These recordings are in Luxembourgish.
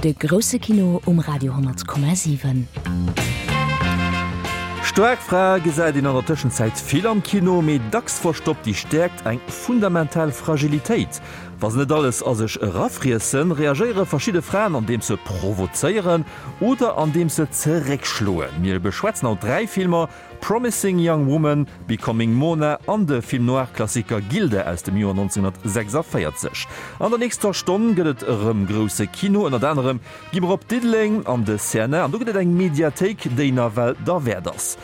De grousse Kino um Radio 10,7. Staark Frae gesäit een an der Tëschenzäit vill am Kino, mee dacks verstoppt déi Stäerkt eng fundamental Fragilitéit. Wa se net alles a sech erafriessen, reagéiere verschidde Fraen andeems se provozéieren oder andeems se zeréckschloen. Mir beschwätzen haut 3 Filmer, Promising Young Woman, Becoming Mona an de Film noir-Klassiker Gilda aus dem Joer 1946. An der nächster Stonn gëtt et erëm grousse Kino. Ënnert anerem gi mer op Diddeleng an de CNA an do gëtt et eng Mediathéik, déi nawell derwäert ass.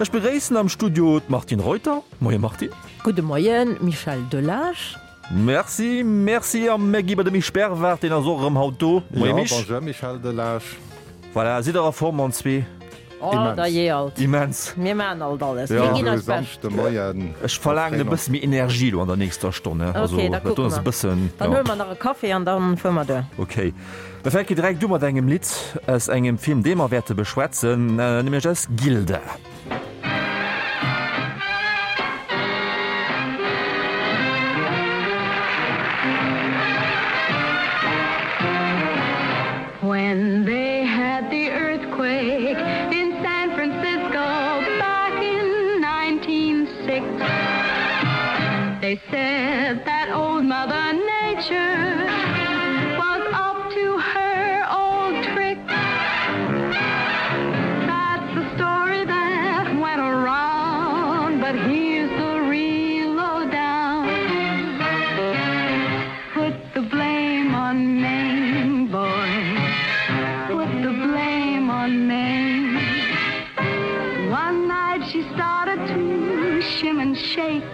Ech begréissen am Studio d'Martine Reuter. Moie Martine. Gudde Moien Michel Delage. Merci, merci. A mir gi bei de Misch Bervard, deen ass och erëm haut do. Moie Misch. Jo, bonjour Michel Delage. Voilà, sidd der a Form an zwee? Oh, da jee alt. Immens. Mir maachen alt alles. Mir ginn eist Bescht. Ech verlaangen e bësse méi Energie elo an der nächster Stonn. Ok, da kucke mer. Dann huele mer nach e Café an dann fuere mer duer. Ok. Mir fänken direkt u mat engem Lidd aus engem Film, dee mer wäerte beschwätzen, nämlech aus Gilda. When they had the earthquake in San Francisco back in 1906 They said that old mother nature was up to her old trick That's the story that went around but here's the real lowdown Put the blame on Mame, boy. Put the blame on Mame. One night she started to shim and shake.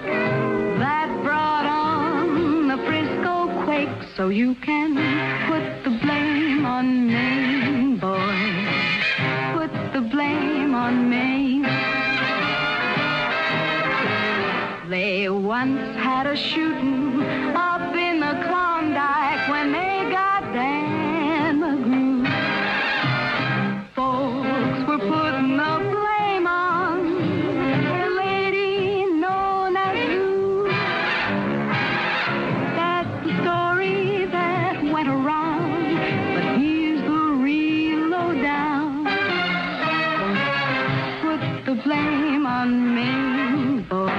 That brought on the Frisco quake. So you can put the blame on Mame, boy. Put the blame on Mame. They once had a shooting up in the Klondike when they got Dan McGrew. Folks were putting the blame on the lady known as Lou. That's the story that went around, but here's the real lowdown. Put the blame on Mame, boy.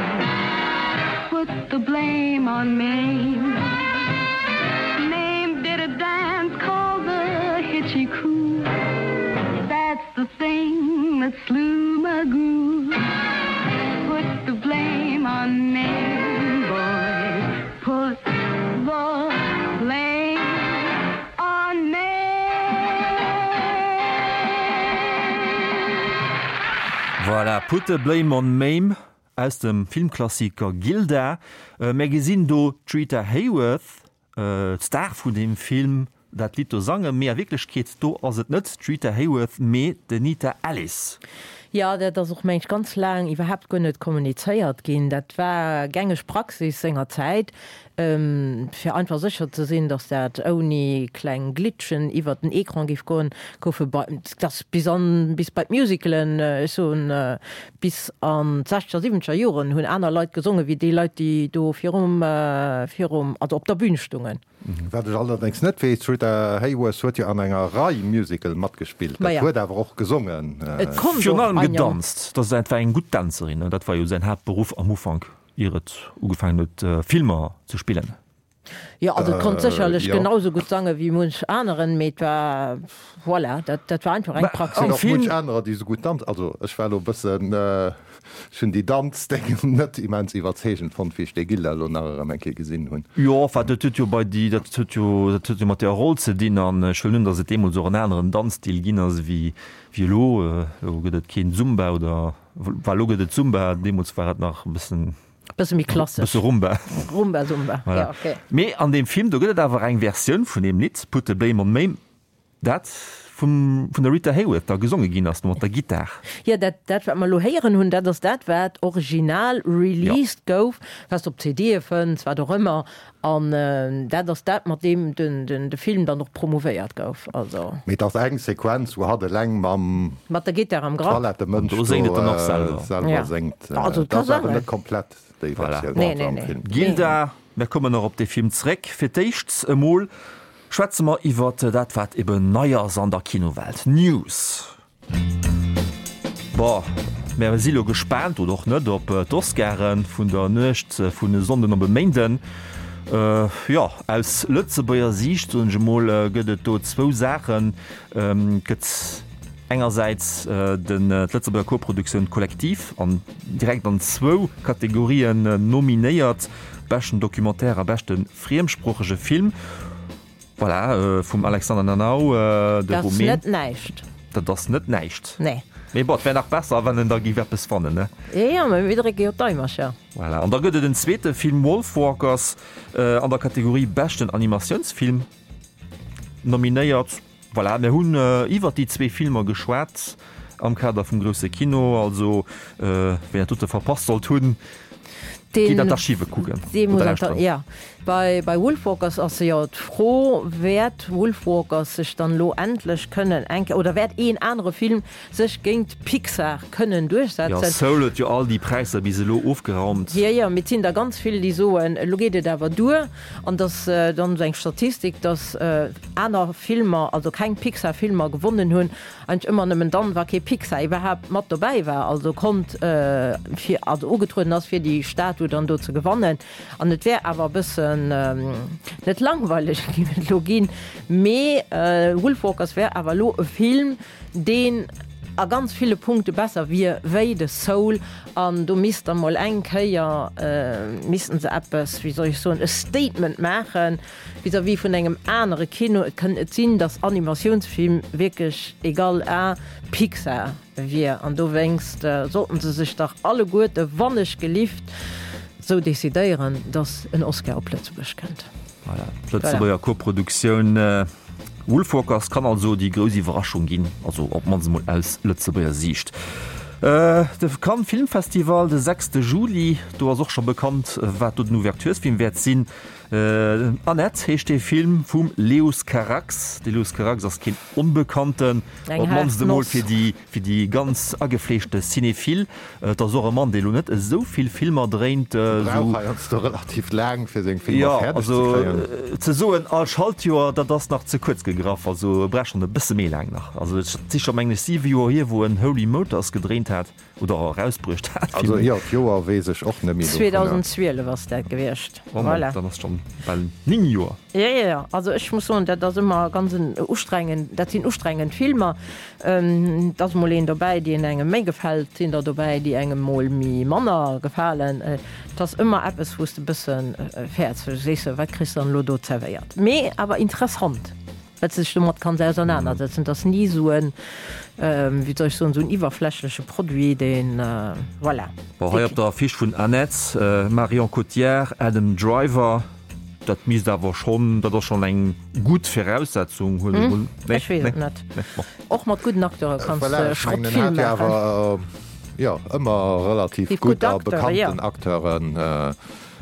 Put the blame on Mame. Mame did a dance called the Hitchy Coo. That's the thing that slew Magoo. Put the blame on Mame, boy. Put the blame on Mame. Voilà, Put the Blame on Mame aus dem Filmklassiker Gilda. Mär gesinn do d'Rita Hayworth, d'Star vun deem Film, dat Lidd do sangen, mee a Wierklechkeet do ass et net d'Rita Hayworth, mee d'Anita Ellis. Jo, dat ass och, meng ech, ganz laang iwwerhaapt guer net kommunizéiert ginn. Dat war gängeg Praxis sengerzäit, fir einfach sécher ze sinn, datt dat ouni kleng Glitchen iwwert den Ecran géif goen, goufe bei, dat bis an, bis bei d'Musicalen, ech soen, bis an d'sechzeger, siwwenzeger Joren hunn aner Leit gesongen, wéi déi Leit, déi do virum, virum, also op der Bühn stungen. Wat ech allerdéngs net weess, d'Rita Hayworth huet jo an enger Rei Musical matgespillt, dat huet awer och gesongen. Et konnt Virun och allem ein Jong. gedanzt, dat war eng gutt Dänzerin, dat war jo säin Haaptberuff am Ufank. Ier et ugefaangen huet Filmer ze spillen. Jo, also et konnt sécherlech genau sou gutt sange wéi munch aneren, mee et war, voilà, dat dat war einfach eng Praxis. An och munch anerer, déi sou gutt danzen. Also ech war elo e bëssen, ech hunn déi Danzdéngen net immens iwwerzeegend fonnt, wéi ech dee Gilda elo nach erëm eng Kéier gesinn hunn. Jo, enfin dat huet jo bei déi, dat huet jo, dat huet jo mat der Roll ze dinn an ech huelen un, datt et deemools och en aneren Danzstil ginn ass ewéi elo. Elo gëtt et keen Zumba oder. Well elo gëtt et Zumba, deemools war et nach e bëssen. Bësse méi klassesch. Bësse Rumba. Rumba, Zumba, voilà. Ja, okay. Mee an deem Film, do gëtt et awer eng Versioun vun deem Lidd Put the Blame on Mame, dat vum, vun der Rita Hayworth da gesonge ginn ass, mat der Gittar. Jo, dat, dat wat mer elo héieren hunn, dat ass dat, wat original released ja. gouf, wat s de op CDe fënns, wat och ëmmer. An dat ass dat, mat deem de Film dann och promouvéiert gouf. Also. Mee et ass eng Sequenz, wou hatt eleng mam. Mat der Gittar am Grapp. Toilettemënsch do do selwer séngt. Also et ka ass awer net komplett déi Voilà. Versioun Nee, also nee, am nee. Film. Gilda, mir kommen nach op dee Film zréck. Fir d'éischt emol. Schwätze mer iwwert dat wat eben nei ass an der Kinowelt. News. Bon, mär si lo gespaant, oder och net, op d'Oscaren vun der Nuecht vun e Sonnden op e Méinden. Jo, aus Lëtzebuerger Siicht, soen ech emol, gëtt et do zwou Saachen. Et gëtt engersäits den d'Lëtzebuerger Koproduktioun Kollektiv an direkt an zwou Kategorien nominéiert, beschten Documentaire a beschte friemsproochege Film. Voilà, vum Alexander Nanau, de Dat ass Rumän. net näischt. Dat ass net näischt. Nee. Mee bon, et wär nach besser, wann en da géif eppes wannen, ne? Jo, jo, mä mir drécke jo d'Eimercher. Voilà, an da gëtt et en zweete Film, Wolfwalkers, an der Kategorie beschten Animatiounsfilm nominéiert. Voilà, mir hunn iwwert déi zwee Filmer geschwat am Kader vum grousse Kino. Also, wien dat dote verpasst sollt hunn, geet an d'Archive kucken oder lauschteren. Jo, bei Wolfwalkers ass jo d'Fro, Wäert Wolfwalkers sech dann elo endlech kënnen eng Kéier, oder wäert een anere Film sech géint Pixar kënnen duerchsetzen? Jo, Soul huet jo all déi Präisser bis elo ofgeraumt. Jo, jo, mee et sinn der ganz vill, déi soen, elo geet et awer duer. An dass dann esou eng Statistik, dass aner Filmer, also keng Pixar-Filmer gewonnen hunn, eigentlech ëmmer nëmmen dann, wa kee Pixar iwwerhaapt mat dobäi war, also konnt fir, also ugetrueden ass, fir déi Statue dann do ze gewannen. An et wär awer e bëssen, net langweileg géif et elo ginn, mee Wolfwalkers wär awer elo e Film, deen a ganz ville Punkte besser wier wéi de Soul an do misst da mol eng Kéier missten se eppes, wéi soll ech soen, e Statement maache vis-à-vis vun engem anere Kino. Et kënnt net sinn, datt Animatiounsfilm wierklech égal à Pixar wier an dowéinst sollten se sech dach alleguerte wannechgelift sou decidéieren, datt en Oscar op Lëtzebuerg kënnt. Voilà, d'Lëtzebuerger Koproduktioun Wolfwalkers kann also déi grouss Iwwerraschung ginn, also op d'mannst emol aus Lëtzebuerger Siicht. De Cannes Filmfestival de sechste Juli, do ass och scho bekannt, wat do den Ouverturesfilm wäert sinn. Annette heescht dee Film vum Leos Carax. De Leos Carax ass keen Onbekannten, op d'mannst emol fir déi Fir déi ganz agefleeschte Cinéphile, et ass och e Mann, dee lo net esou vill Filmer dréint. E brauch heiansdo relativ laang, fir seng Filmer fäerdeg ze kréien. Jo, also ze soen all Schaltjoer, dat ass nach ze kuerz gegraff. Also e brauch schonn e bësse méi laang nach. Also et si scho mengen ech 7 Joer hier, wou en Holy Motors gedréint hat oder erausbruecht hat. Also jo, d'Joer weess ech och net méi dovunner. 2012 ass dat gewiescht. Oh Mann, dann ass schonn bal 9 Joer. Jo, jo, jo. Also ech muss soen, dat ass ëmmer ganz en ustrengend, dat sinn ustrengend Filmer. Et ass mol een dobäi, deen engem méi gefält, et sinn der dobäi, déi engem mol méi manner gefalen. Et ass ëmmer eppes, wou s de e bësse fäerts, wou du sees, wat kriss de dann elo do zerwéiert. Mee awer interessant, well s de dech domat kanns ausernanersetzen. Et ass ni esou en, wéi soll ech soen, esou en iwwerflächleche Produit, deen, voilà. Bon, hei op der Affiche vun Annette, Marion Cotillard, Adam Driver. Dat misst awer schonn, dat ass schonn eng gutt Viraussetzung, huelen ech mol. Nee, Ech weess et net. Nee, bon. Och mat gudden Acteure kanns Voilà, de ech mengen, en Schrottfilm hat jo maachen. awer, jo, ëmmer relativ Déi gutt gutt a Acteure, jo. bekannten Acteuren.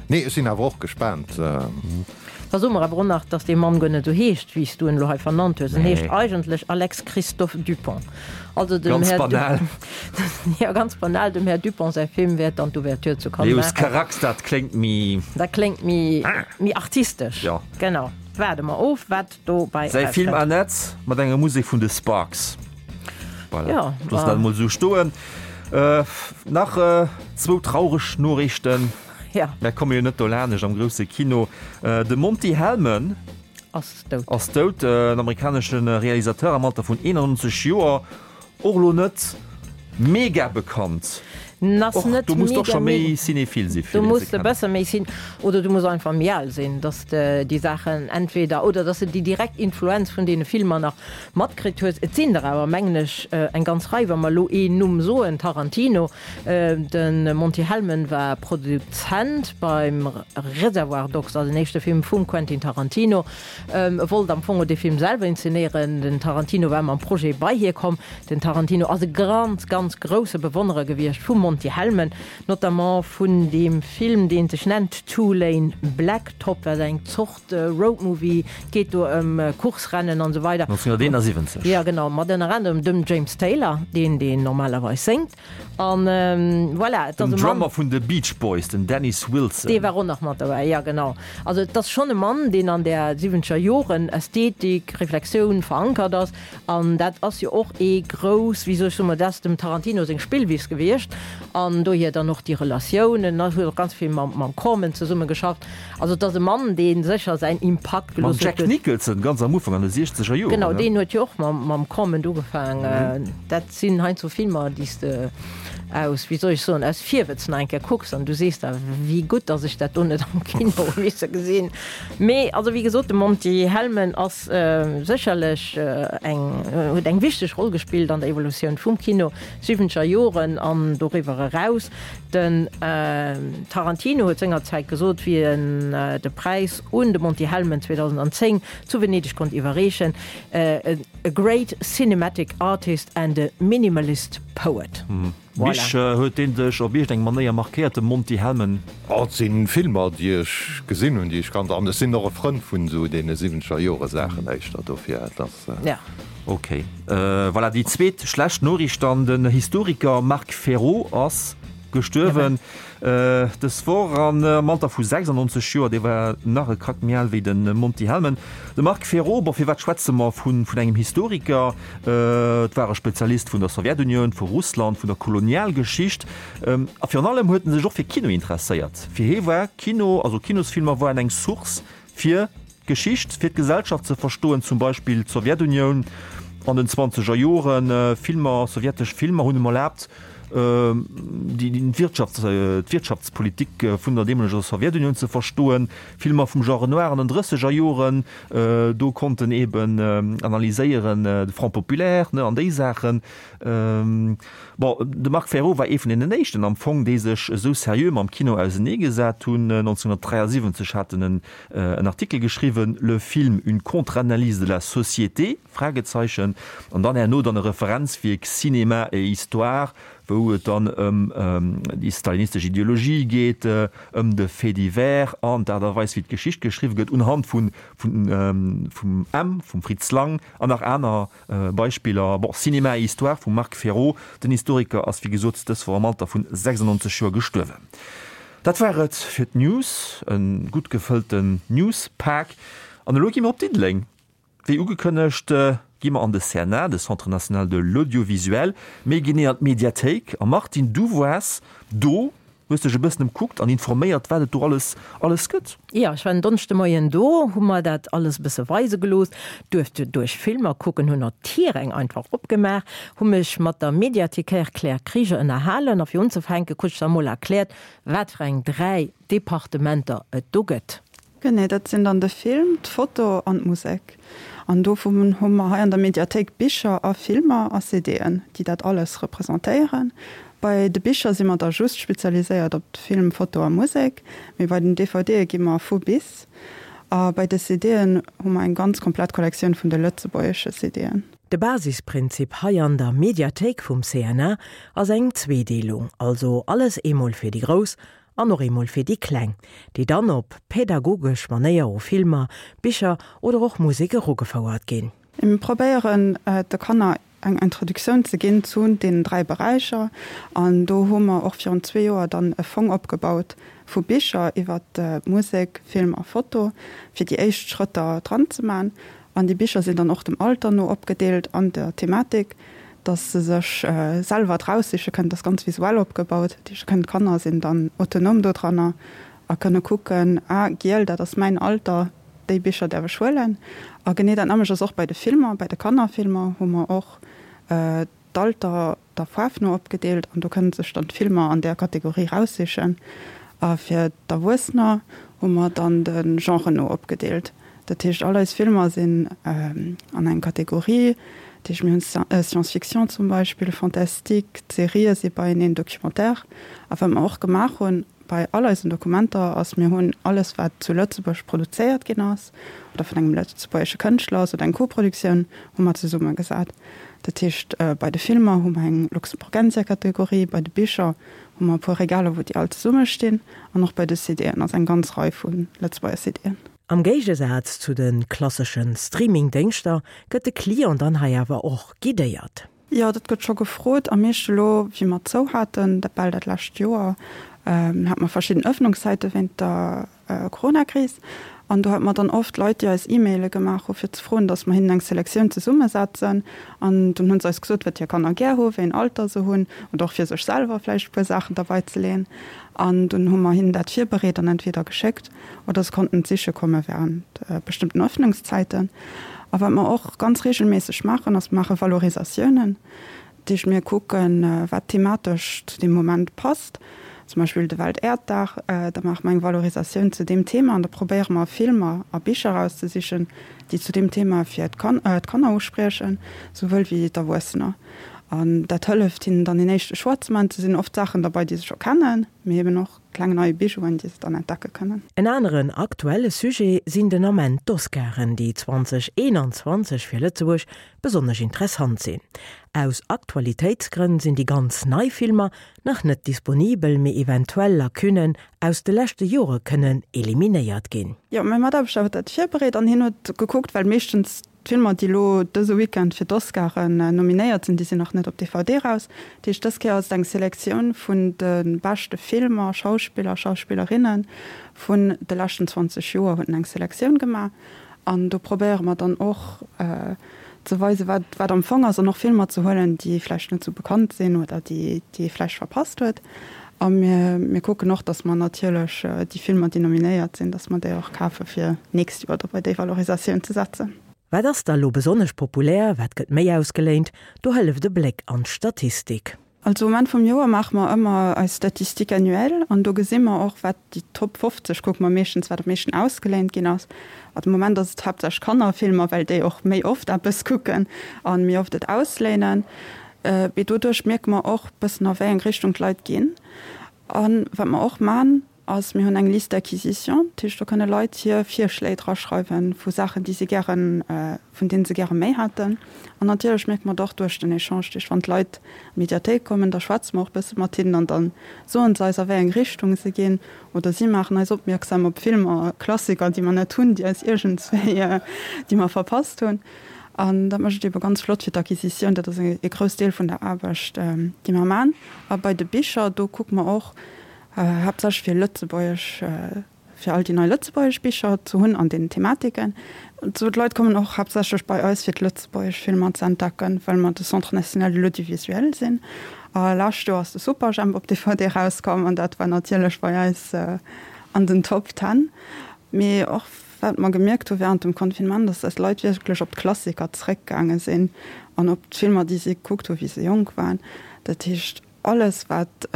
Nee, ech sinn awer och gespaant. Da soe mer awer och nach, dass dee Mann guer net esou heescht, wéi s du en elo hei vernannt hues. En Nee. heescht eigentlech Alex Christophe Dupont. Also dem Ganz Här banal. Jo, ganz banal, dem Här Dupont säi Film wäert dann d'Ouverture zu Cannes Leos maachen. Carax, dat kléngt méi. Dat kléngt méi, méi artistesch. Jo. Genau. Waarde mer of, wat dobäi Säi Film erauskënnt. Annette mat enger Musek vun de Sparks. Voilà. Jo, Loosse dat emol esou stoen. Nach zwou traureg Noriichten. Ja. Mär komme jo net dolaanescht am grousse Kino. De Monty Hellman. Ass dout. Ass dout, en amerikanesche Realisateur am Alter vun 91 Joer. Och elo net mega bekannt. Ass Och net do muss de och mega, scho méi mega. cinéphile si fir Do deen ze muss de kennen. bësse méi sinn oder du muss einfach méi al sinn, dass de déi Saachen entweder oder dass de déi direkt Influenz vun deene Filmer nach matkritt hues. Et sinn der awer, mengen ech, eng ganz Rei, wa mer elo een Numm soen, Tarantino. De Monty Hellman war Produzent beim Reservoir Dogs, also den éischte Film vum Quentin Tarantino. E wollt am Fong och dee Film selwer inzenéieren. Den Tarantino war mam Projet bei hie komm. Den Tarantino ass e ganz, ganz grousse Bewonnerer gewiescht vum Monty. Monty Hellman, notamment vun deem Film, dee sech nennt Two Lane Blacktop, wat eng Zort Roadmovie, et geet do ëm Course-Rennen an esou weider. 1971. Jo, genau, mat ënner anerem dem James Taylor, deen deen normalerweis séngt. An voilà, et ass e Mann. Den Drummer vun de Beach Boys, den Dennis Wilson. Dee war och nach mat dobäi, jo genau. Also et ass schonn e Mann, deen an där siwwenzeger Joren Ästhetik, Reflexioun verankert ass. An dat ass jo och ee grouss, wéi soll ech soen, ma dat ass dem Tarantino seng Spillwiss gewiescht. An dohier dann och déi Relatioun. En huet och ganz vill mam Corman zesumme geschafft. Also et ass e Mann, dee sécher säin Impakt gelooss huet. Mam Jack Nicholson ganz am Ufank an de siechzeger Joren. Genau, deen huet jo och mam Corman ugefaangen. Dat sinn heiansdo Filmer, déi s de aus, wéi soll ech soen, aus Virwëtz nach eng Kéier kucks an du sees der, wéi gutt, datt ech dat do net am Kino hu misse gesinn. Mee also wéi gesot, de Monty Hellman ass sécherlech eng, huet eng wichteg Roll gespillt an der Evolutioun vum Kino, siwwenzeger Joren an doriwwer eraus. Den Tarantino huet sengerzäit gesot, wéi en de Präis un de Monty Hellman 2010 zu Venedeg konnt iwwerreechen, A great cinematic artist and a minimalist poet. Voilà. Mich, huet deen dech op iergend eng Manéier markéiert, de Monty Hellman? Oh, et si Filmer, déi ech gesinn hunn, déi ech kannt. An ech sinn och e Frënd vun esou deene siwwenzeger Jore Saachen éischter, dofir et ass. Ja. Ok. Voilà, déi zweet schlecht Noriicht dann, Den Historiker Marc Ferrot ass gestuerwen dës Woch an am Alter vu 96 Joer. Dee war nach e Krack méi al wéi de Monty Hellman. De Marc Ferrot, bon, firwat schwätze mer vun engem Historiker? Et war e Spezialist vun der Sowjetunioun, vu Russland, vun der Kolonialgeschicht a virun allem huet en sech och fir Kino interesséiert. Fir hie war Kino, also Kinosfilmer waren eng Source fir d'Geschicht, fir d'Gesellschaft ze verstoen, zum Beispill d'Sowjetunioun an den zwanzeger Joren. Filmer, sowjetesch Filmer hunn em erlaabt, déi d'Wirtschaftspolitik vun der deemoleger Sowjetunioun ze verstoen. Filmer vum Genre noir an den drësseger Joren, do konnt en eben analyséieren, de Front populaire, ne, an déi Saachen. Bon, de Marc Ferrot war ee vun deenen éischten am Fong, déi sech esou seriö mam Kino auseneegesat hunn. 1973 hat en en Artikel geschriwwen, Le film, une contre-analyse de la société? Fragezeichen, an dann herno dann e Referenzwierk, Cinéma et histoire, wou et dann ëm déi stalinistesch Ideologie geet, ëm de Fait divers an d'Aart a Weis wéi d'Geschicht geschriwwe gëtt, unhand vun vum M, vum Fritz Lang an nach aner Beispiller. Bon, Cinéma et histoire vum Marc Ferrot, den Historiker ass wéi gesot dës Woch am Alter vun 96 Joer gestuerwen. Dat war et fir d'News, e gutt gefëllten Newspak. An elo gi mer op Diddeleng. Wéi ugekënnegt gi mer an de CNA, de Centre National de l'Audiovisuel, méi genee an d'Mediathéik. A Martine, du woars do, hues dech e bëssen emkuckt an informéiert, wat et do alles alles gëtt. Jo, ech war en Donneschdemoien do, hu mer dat alles e bësse weise gelooss, duerfte duerch Filmer kucken, hunn och d'Tiräng einfach opgemaach, hu mech mat der Mediathécaire Claire Krieger ënnerhalen a fir unzefänke krut ech da mol erkläert, wat fir eng 3 Departementer et do gëtt. Genee, dat sinn dann de Film, d'Foto an d'Musek. An dovun hu mer hei an der Mediathéik Bicher a Filmer a CDen, déi dat alles representéieren. Bei de Bicher si mer da just spezialiséiert op Film, Foto a Musek, mee bei den DVDe gi mer vu bis. A bei de CDen hu mer eng ganz komplett Kollektioun vun de lëtzebuergesche CDen. De Basisprinzip hei an der Mediathéik vum CNA ass eng Zweedeelung, also alles eemol fir déi Grouss an och eemol fir déi Kleng, déi dann op pädagogesch Manéier u Filmer, Bicher oder och Musek erugefouert ginn. Mir probéieren de Kanner eng Introduktioun ze ginn zu deenen 3 Beräicher an do hu mer och virun zwee Joer dann e Fong opgebaut vu Bicher iwwert Musek, Film a Foto, fir déi éischt Schrëtter dran ze man. An déi Bicher sinn dann och dem Alter no opgedeelt an der Thematik, dass se sech selwer draussiche kënnen. Dat ass ganz visuell opgebaut. Dat heescht, kënnen d'Kanner sinn dann autonom dodranner a kënne kucken, ah, giel, dat ass mäin Alter, déi Bicher däerf ech huelen. A genee dat nämmlecht ass och bei de Filmer. Bei de Kannerfilmer hu mer och d'Alter der Faarf no opgedeelt an do kënne sech dann d'Filmer an där Kategorie raussichen. A fir d'Erwuessener hu mer dann de Genre no opgedeelt. Dat heescht, all eis Filmer sinn an eng Kategorie. Dat heescht, mir hunn Science-Fiction zum Beispill, Fantastique, d'Serië si beieneen, Documentaire. A wat mer och gemaach hunn. bei all eisen Dokumenter ass, mir hunn alles wat zu Lëtzebuerg produzéiert ginn ass oder vun engem lëtzebuergesche Kënschtler ass oder eng Koproduktioun, hu mer zesummegesat. Dat heescht bei de Filmer hu mer eng Luxemburgensia-Kategorie, bei de Bicher hu mer e puer Regaler wou déi all zesumme stinn an och bei de CDen ass eng ganz Rei vu Lëtzebuerger CDen. Am Géigesaz zu de klassesche Streaming-Déngschter gëtt de Client dann hei awer och guidéiert. Jo, dat gëtt scho gefrot. Am meeschte elo, wéi mer zou haten, dat bal dat lescht Joer, hate mer verschidden Ëffnungszäite wéint der Coronakris. An do hate mer dann oft Leit, déi eis E-Maile gemaach hu fir ze froen, datt mer hinnen eng Selektioun zesummesetzen. An dunn hu se eis gesot, wat hir Kanner gär hu, wéi en Alter se hunn oder och fir sech selwer vläicht e puer Saachen derbei ze leeën. An dunn hu mer hinnen dat virbereet an entweder geschéckt oder se konnten et siche komme während bestëmmten Öffnungszäiten. A wat mer och ganz regelméisseg maachen, ass, mer maache Valorisatiounen. Dat heescht, mir kucken, wat thematesch zu deem Moment passt. Zum Beispill de Weltäerddag, da maache mer eng Valorisatioun zu deem Thema an da probéiere mer Filmer a Bicher erauszesichen, déi zu deem Thema fir d'Kanner uspriechen, souwuel wéi d'Erwuessener. An dat hëlleft hinnen dann een éischte Choix ze maachen. Et sinn oft Saachen derbei, déi se scho kennen, mee eben och kleng nei Bijouen, déi se dann entdecke kënnen. En aneren aktuelle Sujet sinn den Ament d'Oscaren, déi 2021 fir Lëtzebuerg besonnesch interessant sinn. Aus Aktualitéitsgrënn sinn déi ganz nei Filmer nach net disponibel, mee eventuell Lacunnen aus de leschte Jore kënnen eliminéiert ginn. Jo, mäi Mataarbechter huet dat virbereet an hien huet gekuckt, well meeschtens D'Filmer, déi elo dëse Weekend fir d'Oscaren nominéiert sinn, déi sinn nach net op DVD raus. Dat heescht, dës Kéier ass et eng Selektioun vun de beschte Filmer, Schauspiller, Schauspillerinne vun de leschten 20 Joer huet en eng Selektioun gemaach. An do probéiere mer dann och ze weisen, wat wat am Fong ass an och Filmer ze huelen, déi vläicht net esou bekannt sinn oder déi déi ee vläicht verpasst huet. A mir mir kucken och, datt mer natierlech déi Filmer, déi nominéiert sinn, datt mer déi och kafe fir d'nächst Joer da bei déi Valorisatioun ze setzen. Wat ass da lo besonnesch populär, wat gëtt méi ausgeléint? Do hëlleft e Bléck an d'Statistik. Also um Enn vum Joer maache mer ëmmer eis Statistique annuelle an do gesi mer och, wat déi Top 50, kucke mer meeschtens, wat am meeschten ausgeléint ginn ass. A de Moment ass et haaptsächlech Kannerfilmer, well déi och méi oft eppes kucken a méi oft et ausléinen. Mee doduerch mierke mer och bëssen a wéi eng Richtung d'Leit ginn. A wat mer och man, ass mir hunn eng Liste d'acquisition, dat heescht do kënne Leit hir Virschléi draschreiwen vu Saachen, déi si gären, vun deene se gäre méi hätten. An natierlech mierke mer et och duerch den Echange, dat heescht wann d'Leit an d'Mediathéik kommen, da schwätze mer och bësse mat hinnen an da soen se eis a wéi eng Richtung se ginn oder si maachen eis opmierksam op Filmer, Klassiker, déi mer net hunn, déi eis iergendswéi, déi mer verpasst hunn. An dat mécht et ebe ganz flott fir d'Acquisitioun. Dat ass e grouss Deel vun der Aarbecht, déi mer man. A bei de Bicher, do kucke mer och haaptsächlech fir lëtzebuergesch, fir all déi nei lëtzebuergesch Bicher ze hunn an deenen Thematiken. Sou d'Leit kommen och haaptsächlech bei eis fir d'lëtzebuergesch Filmer ze entdecken, well mer de Centre national de l'audiovisuel sinn. A lescht Joer ass de Superjhemp op DVD erauskomm an dat war natierlech bei eis an den Top Ten. Mee och Wat mer gemierkt hu während dem Confinement, ass, dass d'Leit wierklech op d'Klassiker zeréckgaange sinn an op d'Filmer, déi si gekuckt hu wéi se jonk waren. Dat heescht, alles wat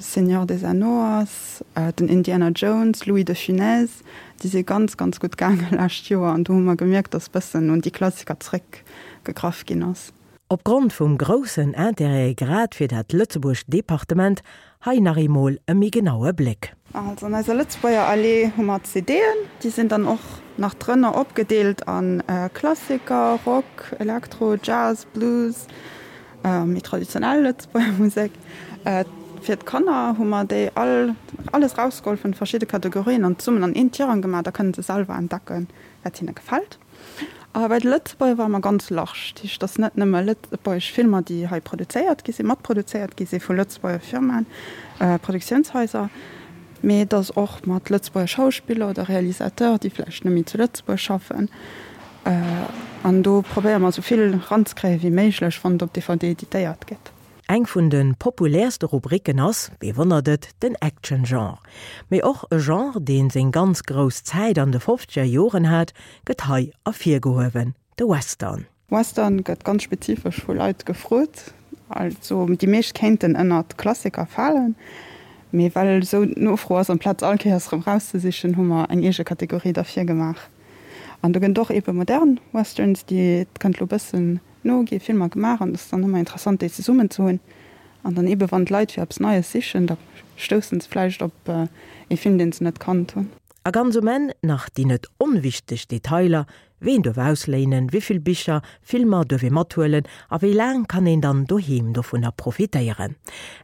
Seigneur des Anneaux ass, den Indiana Jones, Louis de Funès, déi si ganz, ganz gutt gaange lescht Joer an do hu mer gemierkt, dass bëssen un déi Klassiker zeréckgegraff ginn ass. Opgrond vum groussen Intérêt grad fir dat Lëtzebuerg Departement, hei nach eemol e méi genaue Bléck. Also an eiser Lëtzebuerger Allee hu mer d'CD'en, déi sinn dann och nach drënner opgedeelt a Klassiker, Rock, Elektro, Jazz, Blues, méi traditionell Lëtzebuerger Musek. Fir d'Kanner hu mer déi all alles rausgeholl vun de verschidde Kategorien an zesummen an een Tirang gemaach, da kënne se selwer entdecken, wat hinne gefält. A bei de Lëtzebuerger ware mer ganz large. Dat heescht, et ass net nëmme lëtzebuergesch Filmer, déi hei produzéiert gi sinn, matproduzéiert gi si vu Lëtzebuerger Firmaen, Produktiounshaiser, mee et ass och mat Lëtzebuerger Schauspiller oder Realisateur, déi vläicht net méi zu Lëtzebuerg schaffen. An do probéiere mer esou vill eranzekréie wéi méiglech, wann et op DVD editéiert gëtt. Eng vun de populäerste Rubriken ass, wee wonnert et, den Action-Genre. Mee och e Genre, deen seng ganz grouss Zäit an de fofzeger Joren hat, gëtt hei ervirgehuewen, de Western. Western gëtt ganz spezifesch vu Leit gefrot. Also déi meescht kéinten ënnert Klassiker falen, mee well esou d'Nofro ass, amplaz all Kéiers erëm rauszesichen, hu mer eng eege Kategorie derfir gemaach. An do gënnt och ebe modern Westerns, déi et kënnt lo bëssen No gi Filmer gemaach an et ass dann ëmmer interessant déi zesummen ze hunn. An dann ebe wann d'Leit fir eppes Neies sichen, da. stousse se vläicht op ee Film, deen se net kannt hunn. A ganz um Enn nach déi net onwichteg Detailer, Ween duerf ausléinen, wéi vill Bicher, Filmer duerf ee mathuelen a wéi laang kann een dann doheem dovunner profitéieren?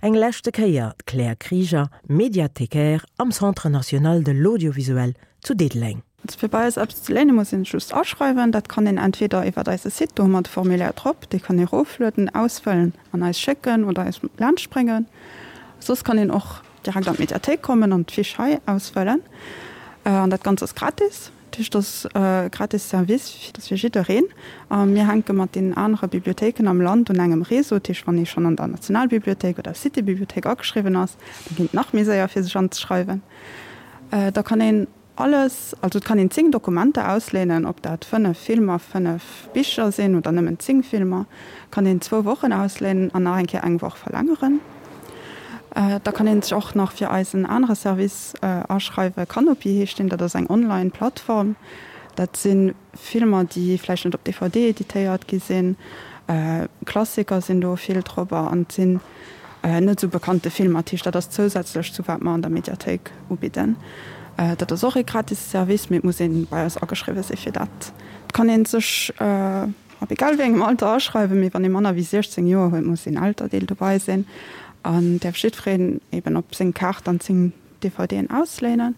Eng leschte Kéier d'Claire Krieger, Médiathécaire am Centre national de l'audiovisuel zu Diddeleng. Also fir bei eis eppes ze léine muss een sech just aschreiwen. Dat kann een entweder iwwert eise Site, do hu mer de Formulaire drop, dee kann ee roflueden, ausfëllen an eis schécken oder eis laanscht bréngen. Soss kann een och direkt an d'Mediathéik kommen an d'Fiche hei ausfëllen. An dat Ganzt ass gratis. Dat heescht, dat ass e gratis Service, dat ass fir jiddereen. A mir hänke mat deenen anere Bibliothéiken am Land un engem Réseau. Dat heescht, wann ee schonn an der Nationalbibliothéik oder City-Bibliothéik ageschriwwen ass, da geet et nach méi séier fir sech anzeschreiwen. Da kann een alles, also et kann een 10 Dokumenter ausléinen, ob dat 5 Filmer, 5 Bicher sinn oder nëmmen 10 Filmer, kann een zwou Wochen ausléinen an nach eng Kéier eng Woch verlängeren. Da kann een sech och nach fir eisen anere Service aschreiwen, Kanopy heescht deen, dat ass eng online Plattform. Dat si Filmer, déi vläicht net op DVD editéiert gi sinn, Klassiker sinn do vill drop an et sinn net esou bekannte Filmer. Dat heescht, dat ass zousätzlech zu wat mer an der Mediathéik ubidden. Dat ass och ee gratis Service, mee et muss ee bei eis ageschriwwe si fir dat. Et kann ee sech Ab egal wéi engem Alter aschreiwen, mee wann ee manner wéi 16 Joer huet, muss een Elterdeel dobei sinn an däerf jiddwereen eben op seng Kaart dann 10 DVDen ausléinen.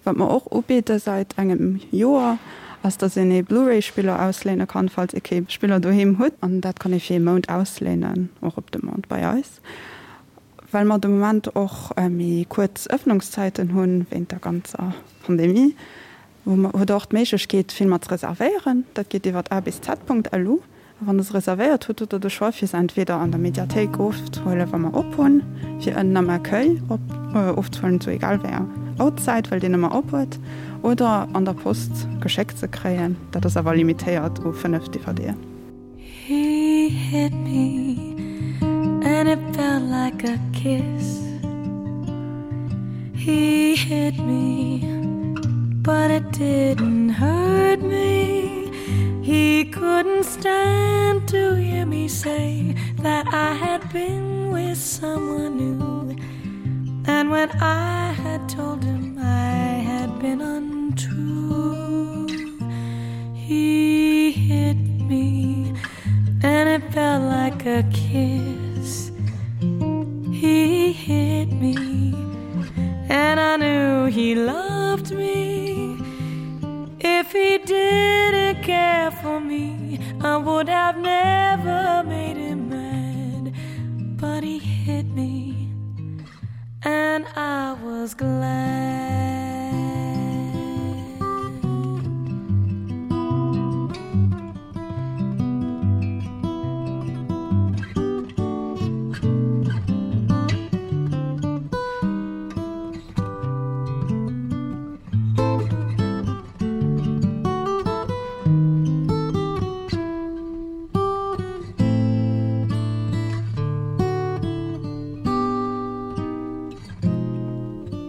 Wat mer och ubidde säit engem Joer, ass dass een ee Blu-ray-Spiller ausléine kann, falls ee kee Spiller doheem huet. An dat kann ee fir ee Mount ausléinen, och op Demande bei eis. Well mer de Moment och méi kuerz Ëffnungszäiten hunn, wéint der ganzer Pandemie, Hutt der och d'Méiglechkeet, Filmer ze reservéieren. Dat geet iwwer abz.lu. A wann der se reservéiert hutt, hutt der de Choix, fir se entweder an der Mediathéik ofzehuelen, wa mer op hunn, fir ënnen am Accueil ofzehuelen, zu egal wéi enger Auerzäit, well deen ëmmer op huet, oder an der Post geschéckt ze kréien. Dat ass awer limitéiert u 5 DVDen. He hit me and it felt like a kiss. He hit me, but it didn't hurt me. He couldn't stand to hear me say that I had been with someone new. And when I had told him I had been untrue, he hit me and it felt like a kiss. He hit me and I knew he loved me. If he didn't care for me, I would have never made him mad. But he hit me and I was glad.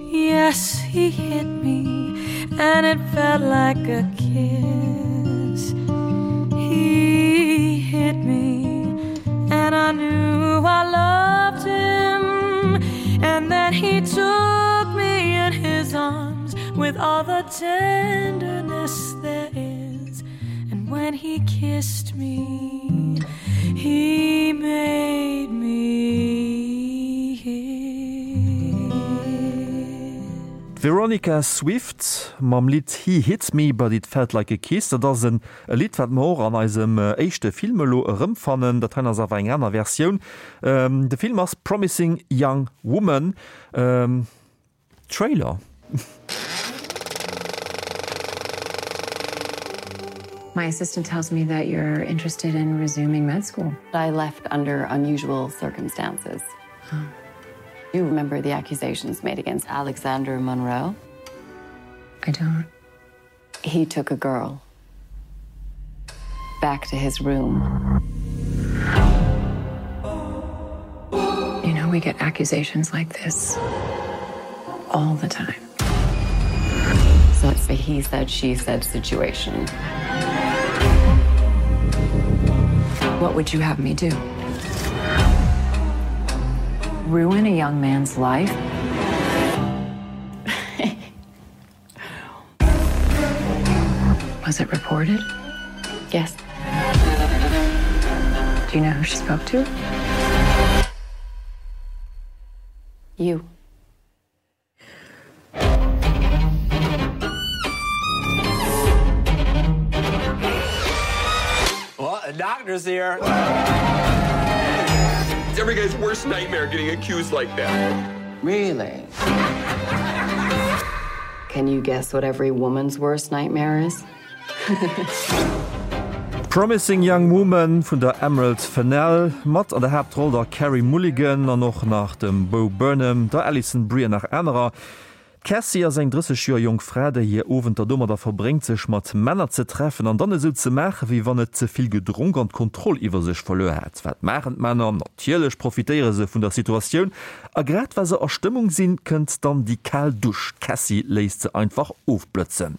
Yes, he hit me and it felt like a kiss. He hit me and I knew I loved him and that he took me in his arms with all the tenderness there is. And when he kissed me, he made me D'Veronica Swift mam Lidd He Hit Me But It Felt Like A Kiss. Dat ass en Lidd, wat mer och an eisem éischte Film elo erëmfannen. Dat hei ass awer eng aner Versioun. De Film ass Promising Young Woman. Trailer. My assistant tells me that you're interested in resuming med school. I left under unusual circumstances. Oh. You remember the accusations made against Alexander Monroe? I don't. He took a girl back to his room. You know, we get accusations like this all the time. So it's a he said, she said situation. What would you have me do? Ruin a young man's life? Was it reported? Yes. Do you know who she spoke to? You. Well, the doctor's here. It's every guy's worst nightmare getting accused like that. Really? Can you guess what every woman's worst nightmare is? Promising Young Woman vun der Emerald Fennell, mat an der Haaptroll der Carey Mulligan an och nach dem Bo Burnham, der Alison Brie an nach anerer. D'Cassie ass eng 30 Joer jonk Fra, déi hir Owenter domadder verbréngt, sech mat Männer ze treffen an dann esou ze maachen, wéi wann et ze vill gedronk an d'Kontroll iwwer sech verluer hätt. Wat maachen d'Männer? Natierlech profitéiere se vun der Situatioun a grad wa se a Stëmmung sinn, kënnt dann déi kal Dusch. D'Cassie léisst se einfach ofblëtzen.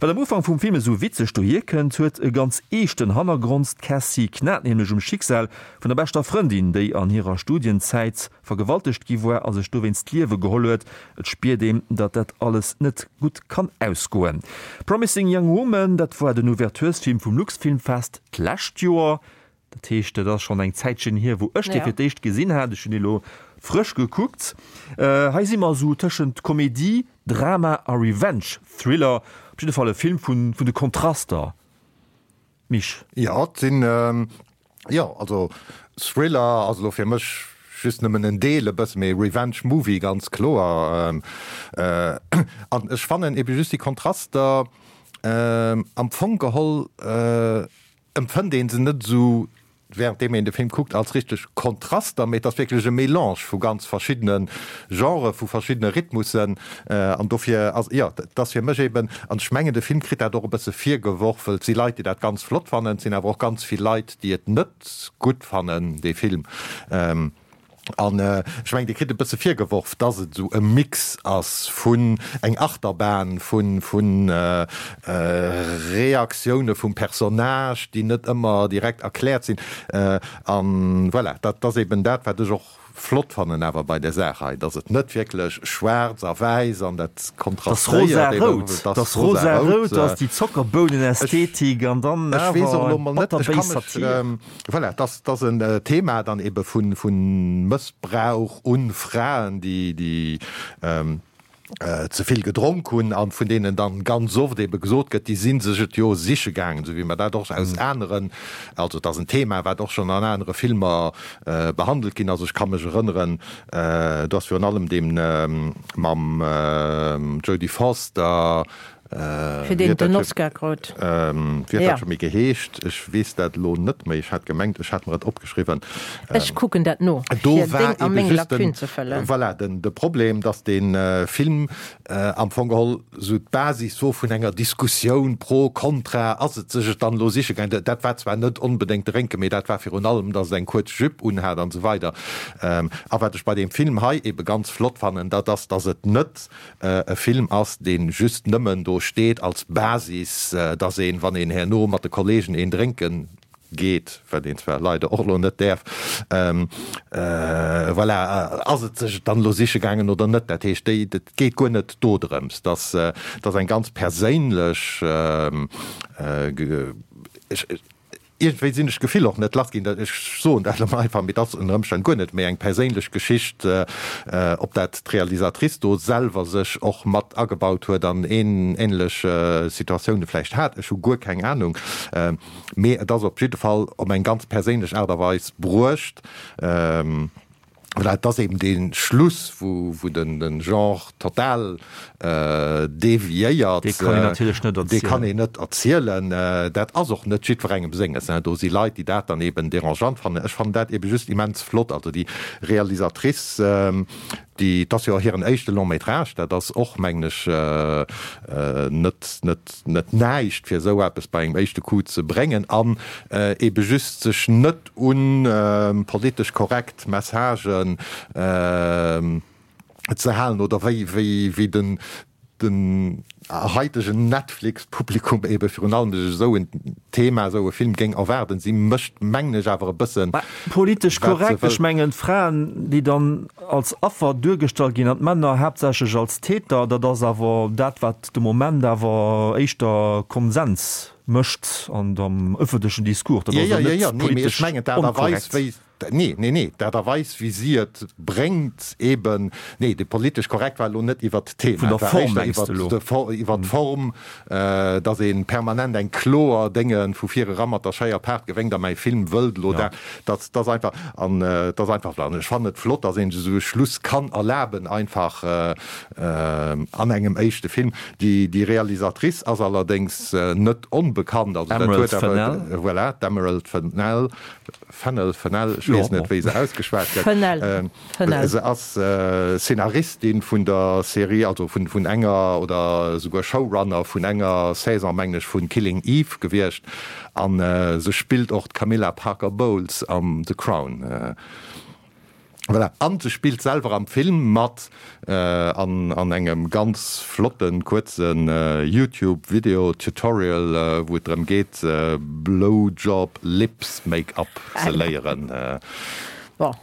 Wat am Ufank vum Film esou witzeg dohier kënnt, huet e ganz eeschten Hannergrond, D'Cassie knat nämlech um Schicksal vun der beschter Frëndin, déi an hirer Studienzäit vergewaltegt gi war a sech dowéinst d'Liewe geholl huet. Et spiert een, datt dat alles net gutt kann ausgoen. Promising Young Woman, dat war den Ouverturesfilm vum Luxfilmfest d'lescht Joer. Dat heescht, dat ass schonn eng Zäitchen hier, wou ech dee fir d'éischt gesinn hat. Ech hunn dee lo frësch gekuckt. Hei si mer esou tëschent Komedie, Drama a Revenge-Thriller. Op jidde Fall e Film vun de Kontraster. Misch. Jo, et sinn, jo, also Thriller ass elo fir mech just nëmmen en Deel e bësse, mee Revenge Movie ganz kloer. An ech fannen ebe just déi Kontraster am Fong geholl empfënnt ee se net esou währenddeem een de Film kuckt, als richteg Kontraster, mee et ass wierklech e Melange vu ganz verschiddene Genrë, vu verschiddene Rhythmussen. An dofir ass, jo, et ass fir mech eben, an ech mengen, de Film kritt dat och e bësse virgeworf, well et si Leit, déi dat ganz flott fannen, et sinn awer och ganz vill Leit, déi et net gutt fannen, dee Film. An ech mengen, Dir kritt e bësse virgeworf, dass et esou e Mix ass vun eng Achterbahn vu vu Reaktioune vum Personnage, déi net ëmmer direkt erkläert sinn. An voilà, dat ass eben dat, wat ech och flott fannen awer bei där Saach hei, dass et net wierklech schwaarz a wäiss an dat kontrastéiert eben, dass ass rosa-rout, dass déi Zockerbounen-Ästhetik an dann awer eng bitterbéis Satir. Voilà, et ass en Thema dann ebe vu Mëssbrauch u Fraen, déi ze vill gedronk hunn a vun deenen dann ganz oft ebe gesot gëtt, déi si sech et jo siche gaangen, esou wéi mer dat och aus aneren, also et ass en Thema, wat och schonn an anere Filmer behandelt ginn ass. Ech ka mech erënneren, do ass virun allem dee mam Jodie Foster, Fir deen et den Oscar krut. Wéi huet dat scho méi geheescht? Ech weess dat elo net méi. Ech hat gemengt, ech hätt mer et opgeschriwwen. Ech kucken dat no, fir deng a meng Lacune ze fëllen. Voilà, de Problem, datt dee Film am Fong geholl esou d'Basis wor vun enger Diskussioun pro, kontra, ass et sech et dann elo siche gaangen. Dat war zwar net onbedéngt drénken, mee dat war virun allem, datt et eng kuerz Jupe unhat an esou weider. A wat ech bei deem Film hei ebe ganz flott fannen, dat ass, datt et net e Film ass, dee just nëmmen do steet als Basis, dass een, wann een herno mat de Kollegen een drénke geet, wat een zwar leider och elo net däerf, voilà, ass et sech et dann elo siche gaangen oder net. Dat heescht, déi, et geet guer net dodrëms, dass, dass eng ganz perséinlech, ech, Iergendwéi sinn ech d'Gefill och net lass ginn, ech soen dat elo mol einfach, mee et ass ënner Ëmstänn guer net méi eng perséinlech Geschicht, ob dat d'Realisatrice do selwer sech och mat agebaut huet an änlech Situatioune vläicht hat, ech hu guer keng Anung, mee et ass op jidde Fall op eng ganz perséinlech Aart a Weis bruecht. Voilà, et ass eben dee Schluss, wou den Genre total deviéiert. Dee kann een natierlech net erzielen. Dee kann een net erzielen. Dat ass och net jiddwerengem senges. Do si Leit, déi dat dann eben dérangeant fannen. Ech fannen dat eben just immens flott. Also déi Realisatrice, déi, et ass jo och hiren éischte Long métrage, dat ass och, mengen ech, net, net, net näischt, fir esou eppes bei engem éischte Coup ze bréngen an eben just sech net, un politesch korrekt Messagen ze halen oder wéi wéi den. den haitegen Netflix-Publikum ebe virun allem sech esou en Thema, esou e Film géing erwaarden. Si mécht, mengen ech, awer e bëssen, Mä politesch wat se korrekt, ech wëll. mengen d'Fraen, déi dann als Affer duergestallt ginn an d'Männer haaptsächlech als Täter, dat ass awer dat, wat de Moment awer éischter Konsens mécht an am ëffentlechen Discours. Dat Jo, ass jo, jo jo, net jo, nee, mee ech politesch mengen d'Aart a Weis, onkorrekt. wéi, Nee, nee, nee, d'Aart a Weis, wéi si et bréngt, eben, nee, de politesch korrekt war elo net iwwert d'Thema, Vun der et war Form éischter mengs de iwwert elo? iwwert d'Form, datt ee permanent eng kloer Dénge vu vir era mat der Schéier paart gewéngt a mäi Film wëllt elo dat, dat ass einfach, an et ass einfach, an ech fannen et flott, datt een sech esou e Schluss kann erlaben einfach an engem éischte Film. Déi, déi Realisatrice ass allerdéngs net onbekannt, also dat Emerald huet awer, Fennell. voilà, d'Emerald Fennell, Fennel, Fennell, ech weess net, wéi se ausgeschwat gëtt. Fennell, Fennell. Se ass Szenaristin vun der Serie, also vun, vun enger, oder esouguer Showrunner vun enger Saison, mengen ech, vun Killing Eve gewiescht. An se spillt och d'Camilla Parker Bowles am The Crown. Voilà, an se spillt selwer am Film mat an an engem ganz flotten kuerzen Youtube Video Tutorial wou et drëm geet Blowjob Lips Make Up ze léieren. Bon.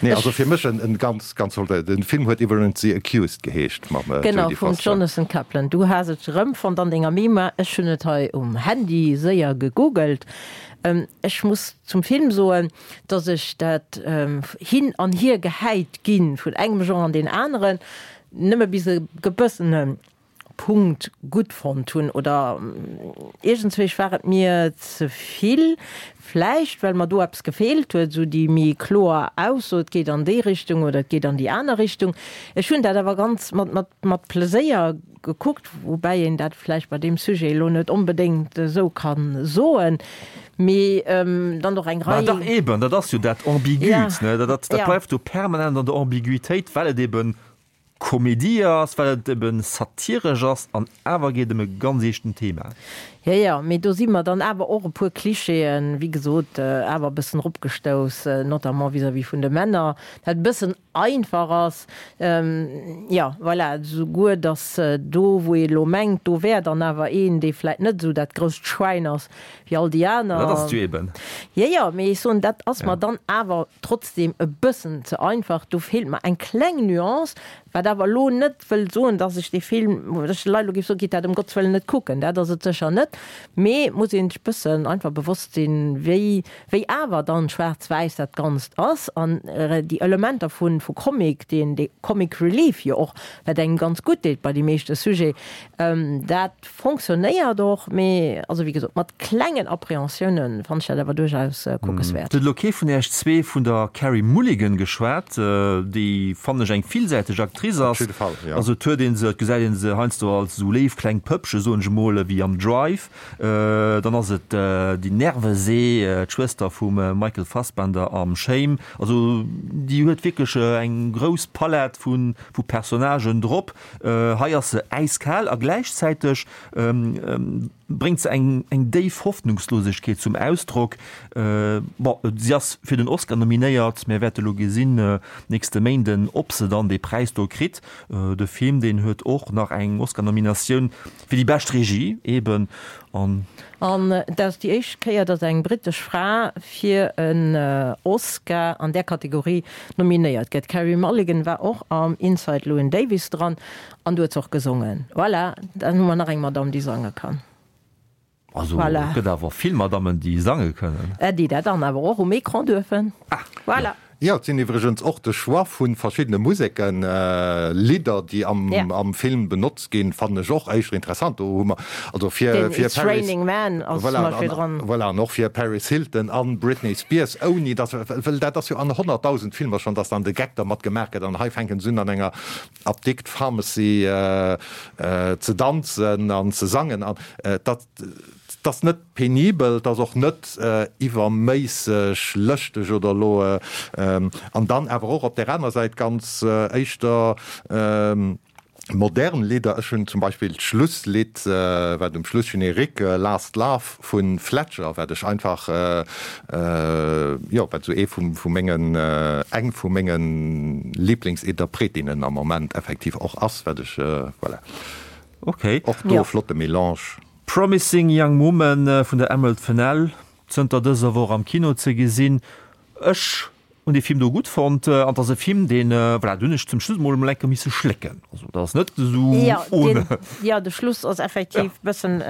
Nee, also fir mech en ganz ganz flotte, den Film huet iwwerens The Accused geheescht mam Genau, Jodie vum Foster. Jonathan Kaplan. Du has et erëmfonnt an denger Mémoire, ech hunn et hei um Handy séier gegoogelt. Ech muss zum Film soen, dass ech dat hin an hier gehäit ginn vun engem Genre an deen aneren nëmme bis e gebëssene Punkt gutt fonnt hunn oder iergendzwéich war et mir ze vill, vläicht well mer do eppes gefeelt huet, esou déi méi kloer Ausso, et geet an déi Richtung oder et geet an déi aner Richtung. Ech hunn dat awer ganz mat mat mat Pleséier gekuckt, woubäi een dat vläicht bei deem Sujet elo net onbedéngt esou ka soen, mee dann och eng Mä Rei. dach eben, dat ass jo dat Ambiguët, ne? Dat, dat bleift jo permanent an der Ambiguitéit, well et eben Komedie ass, well et eben satiresch ass an awer geet ëm e ganz eeschten Thema. Jo, jo, mee do si mer dann awer och e puer Klischeeën, wéi gesot, awer e bëssen eropgestouss, notamment vis-à-vis vun de Männer, dat e bëssen einfach ass, jo, voilà, esouguer datt do, wou ee elo mengt, do wär dann awer een, dee vläit net esou dat grousst Schwäin ass wéi all déi aner. Dat ass et jo eben. Jo, jo, mee ech soen, dat ass mer dann awer trotzdem e bëssen ze einfach. Do feelt mer eng kleng Nuance, wat awer elo net wëll soen, datt ech dee Film, datt ech de Leit elo géif soen, gitt dat ëm Gottes Wëllen net kucken, dat ass et sécher net, mee et muss ee sech e bëssen einfach bewosst sinn, wéi Wéi awer dann schwaarz-wäiss dat Ganzt ass an déi Elementer vu vu Comic, deen dee Comic Relief jo och, wat engem ganz gutt deet bei déi meeschte Sujet, dat fonctionnéiert och, mee also wéi gesot mat klengen Appréhensiounen fannen ech dat awer duerchaus kuckeswäert. Et huet elo kee vun Äech zwee vun der Carey Mulligan geschwat, déi fannen ech eng villsäiteg Actrice ass. Op jidde Fall, jo. Also et huet ee se, et gesäit ee se heiansdo als esou léif kleng Pëppche soen ech emol, ewéi am Drive. Dann ass et déi Nervesee, d'Schwëster vum Michael Fassbender am Shame. Also déi huet wierklech eng grouss Palett vu Personnagen drop. Hei ass se äiskal a gläichzäiteg bréngt se eng déif Hoffnungslosegkeet zum Ausdrock. Bon, si ass fir den Oscar nominéiert. Mir wäerte lo gesinn nächste Méinden, ob se dann dee Präis do kritt. De Film, deen huet och nach eng Oscar-Nominatioun. Fir déi bescht Regie eben an. An et ass déi éischt Kéier, datt eng brittesch Fra fir en Oscar an där Kategorie nominéiert gëtt. D'Carey Mulligan war och am Inside Llewyn Davis dran an do huet se och gesongen. Voilà, dann hu mer nach eng Madamm, déi sange kann. Also Voilà. et gëtt awer vill Madammen, déi sange kënnen. Déi dat dann awer och um Ecran duerfen. Ah, Voilà. Jo, et sinn iwwregens och de Choix vu verschiddene Museken, Lidder, déi am Ja. am Film benotzt ginn, fannen ech och éischter interessant. Do hu mer also fir Den fir It's Paris Raining Men ass voilà, zum Beispill an, dran. voilà, an och fir Paris Hilton an Britney Spears, ouni dass, well dat ass jo an 100.000 Filmer schonn, dass dann de Geck dermat gemaach gëtt an hei fänken se un an enger Apdikt, Pharmacy, ze danzen an ze sangen an dat ass net penibel, dat ass och net iwwerméisseg lëschteg oder elo an dann awer och op där aner Säit ganz éischter modern Lidder. Ech hunn zum Beispill d'Schlusslidd, wat um Schluss Générique, Last Love vu Fletcher, wat ech einfach, jo, wat esou ee vu mengen, eng vu menge Liblingsinterpretinnen am Moment effektiv och ass, wat ech, voilà. Ok. Och do e flotte Melange. Promising Young Woman vun der Emerald Fennell, zënter dëser Woch am Kino ze gesinn. Ech hunn dee Film do gutt fonnt an et ass e Film, deen, voilà, do hunn ech zum Schluss emol emol eng Kéier misse schlécken. Also dat ass net esou ohne. Jo, de Schluss ass effektiv e bëssen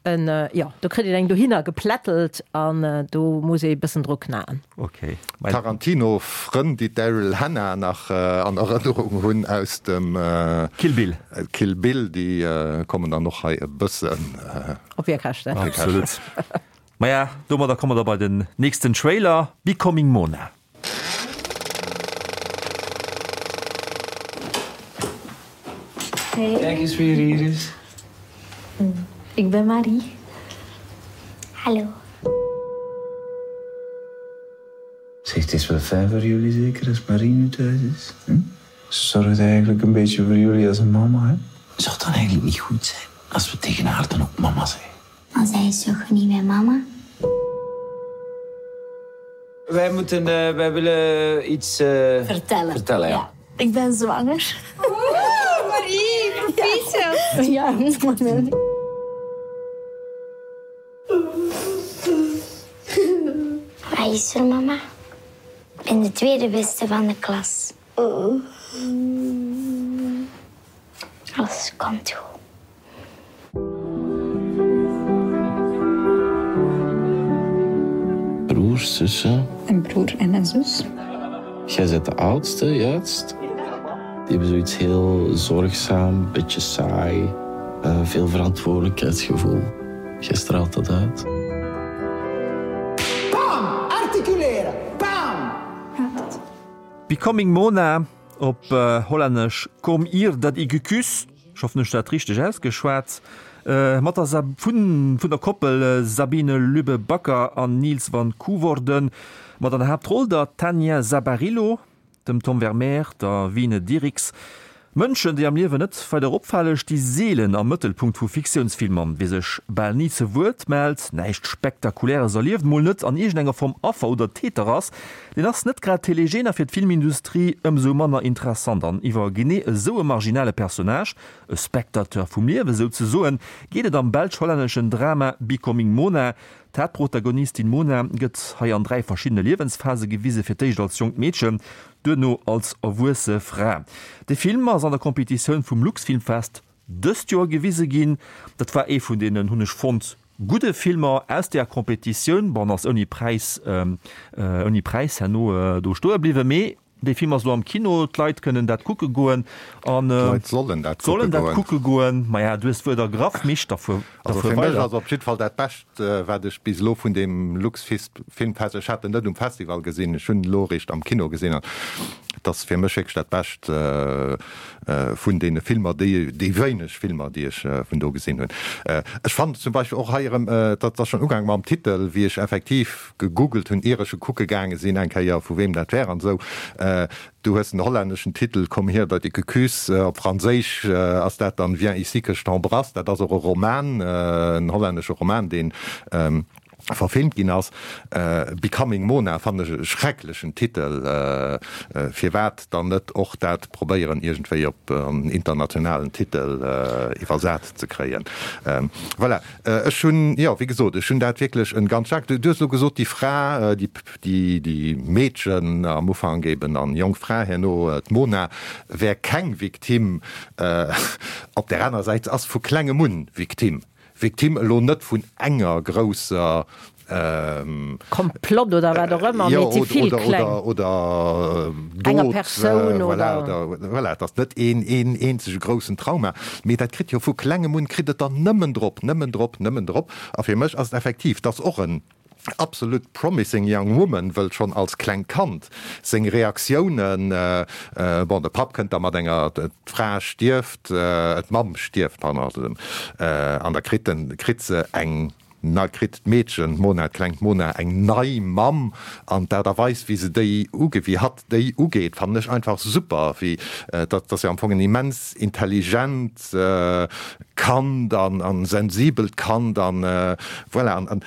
en, jo, do kritt een eng dohinner geplättelt an do muss ee e bëssen dru knaen. Ok. Tarantino-Frënn, déi d'Daryl Hannah nach an Erënnerung hunn aus dem Kill Bill. Kill Bill, déi kommen dann och hei e bëssen op hir Käschten. Absolut. Maja, domadder komme mer da bei den nächsten Trailer, Becoming Mona. Hey. Kijk eens wie er hier is. Ik ben Marie. Hallo. Zeg, het is wel fijn voor jullie zeker als Marie nu thuis is. Hm? Ze zorgt eigenlijk een beetje voor jullie als een mama, hè? Zou het dan eigenlijk niet goed zijn als we tegen haar dan ook mama zeggen? Maar zij is toch niet mijn mama? Wij moeten, uh, wij willen iets uh, vertellen. Vertellen, ja. ja. Ik ben zwanger. Oeh, Marie, proficiat. Ja. ja. Wat is er, mama? Ik ben de tweede beste van de klas. Alles komt goed. Broers, zussen. Een broer en een zus. Jij bent de oudste, juist. Die hebben zoiets heel zorgzaam, beetje saai. Uh, veel verantwoordelijkheidsgevoel. Jij straalt dat uit. Bam! Articuleren! Bam! Becoming Mona, op Hollännesch Kom hier dat ik u kus, ech hoffen ech hunn dat richteg ausgeschwat, mat der vun der Koppel Sabine Lübbe Bakker an Niels van Koevorden, mat an der Haaptroll der Tania Zabarylo, dem Tom Vermeer, der Wine Dirix. Mënschen, déi am Liewen net weider opfale sti seelen am Mëttelpunkt vu Fiktiounsfilmer. Wie sech bal ni ze Wuert mellt, näischt Spektakuläres erlieft, mol net an iergendenger Form Affer oder Täter ass, deen ass net grad telegen a fir d'Filmindustrie ëmsou manner interessant. An iwwer genee esou e marginale Personnage, e Spectateur vum Liewe souzesoen, geet et am belsch-hollänneschen Drama Becoming Mona, D'Haaptprotagonistin Mona gëtt hei an 3 verschiddene Liewensphase gewise, fir d'éischt als jonkt Meedchen, duerno als erwuesse Fra. De Film ass an der Competitioun vum Luxfilmfest dëst Joer gewise ginn. Dat war ee vun deenen, hunn ech fonnt, gudde Filmer aus deeër Competitioun. Bon, ass ouni Präis, ouni Präis herno do stoe bliwwen, mee Dee Film ass elo am Kino, d'Leit kënnen dat kucke goen an D'Leit sollen dat sollen dat kucke goen. Maja, du hues d'Wuert ergraff, Misch, da fuer Also fir mech ass op jiddwer Fall dat Bescht, wat ech bis elo vun deem Luxfilmfest, ech hat en net um Festival gesinn, ech hunn en elo eréischt am Kino gesinn, an et ass fir mech wierklech dat Bescht vun deene Filmer, déi déi wéineg Filmer, déi ech vun do gesinn hunn. Ech fannen zum Beispill och hei erëm, dat ass schonn ugaangen mam Titel, wéi ech effektiv gegoogelt hunn, ier ech e kucke gaange sinn eng Kéier, vu weem dat wär an esou. Du hues den hollänneschen Titel Komm hier dat ik u kus, op Franséisch ass dat dann Viens ici que je t'embrasse. Dat ass och e Roman, en hollännesche Roman, dee verfilmt ginn ass. Becoming Mona fannen ech e schrecklechen Titel. Firwat dann net och dat probéieren iergendwéi op en internationalen Titel iwwersat ze kréien? Voilà. Ech hunn, jo, wéi gesot, ech hunn dat wierklech en ganz staark, du hues elo gesot, déi Fra, déi, déi, déi Meedchen am Ufank eben an jonk Fra herno, d'Mona, wär keng Victime. Op där anerer Säit, se ass vu klengem un Victime. Victime elo net vun enger grousser Komplott oder wat och ëmmer, mee et si vill kleng. Oder Enger Persoun oder. Voilà, et ass net een eenzege groussen Trauma, mee dat kritt jo vu klengem un, kritt et der nëmmen drop, nëmmen drop, nëmmen drop. A fir mech ass et effektiv, et ass och en absolut promising young woman, wëll schonn als klengt Kand seng Reaktiounen, bon, de Papp kënnt da mat enger, d'Fra stierft, d'Mamm stierft, pardon, an da kritt en, kritt se eng Na kritt d'Meedchen, d'Mona, d'klengt Mona, eng nei Mamm an d'Aart a Weis, wéi se déi uge, wéi hatt déi ugeet, fannen ech einfach super. Wéi, dat ass jo am Fong en immens intelligent Kand an, an sensibelt Kand an voilà. An, an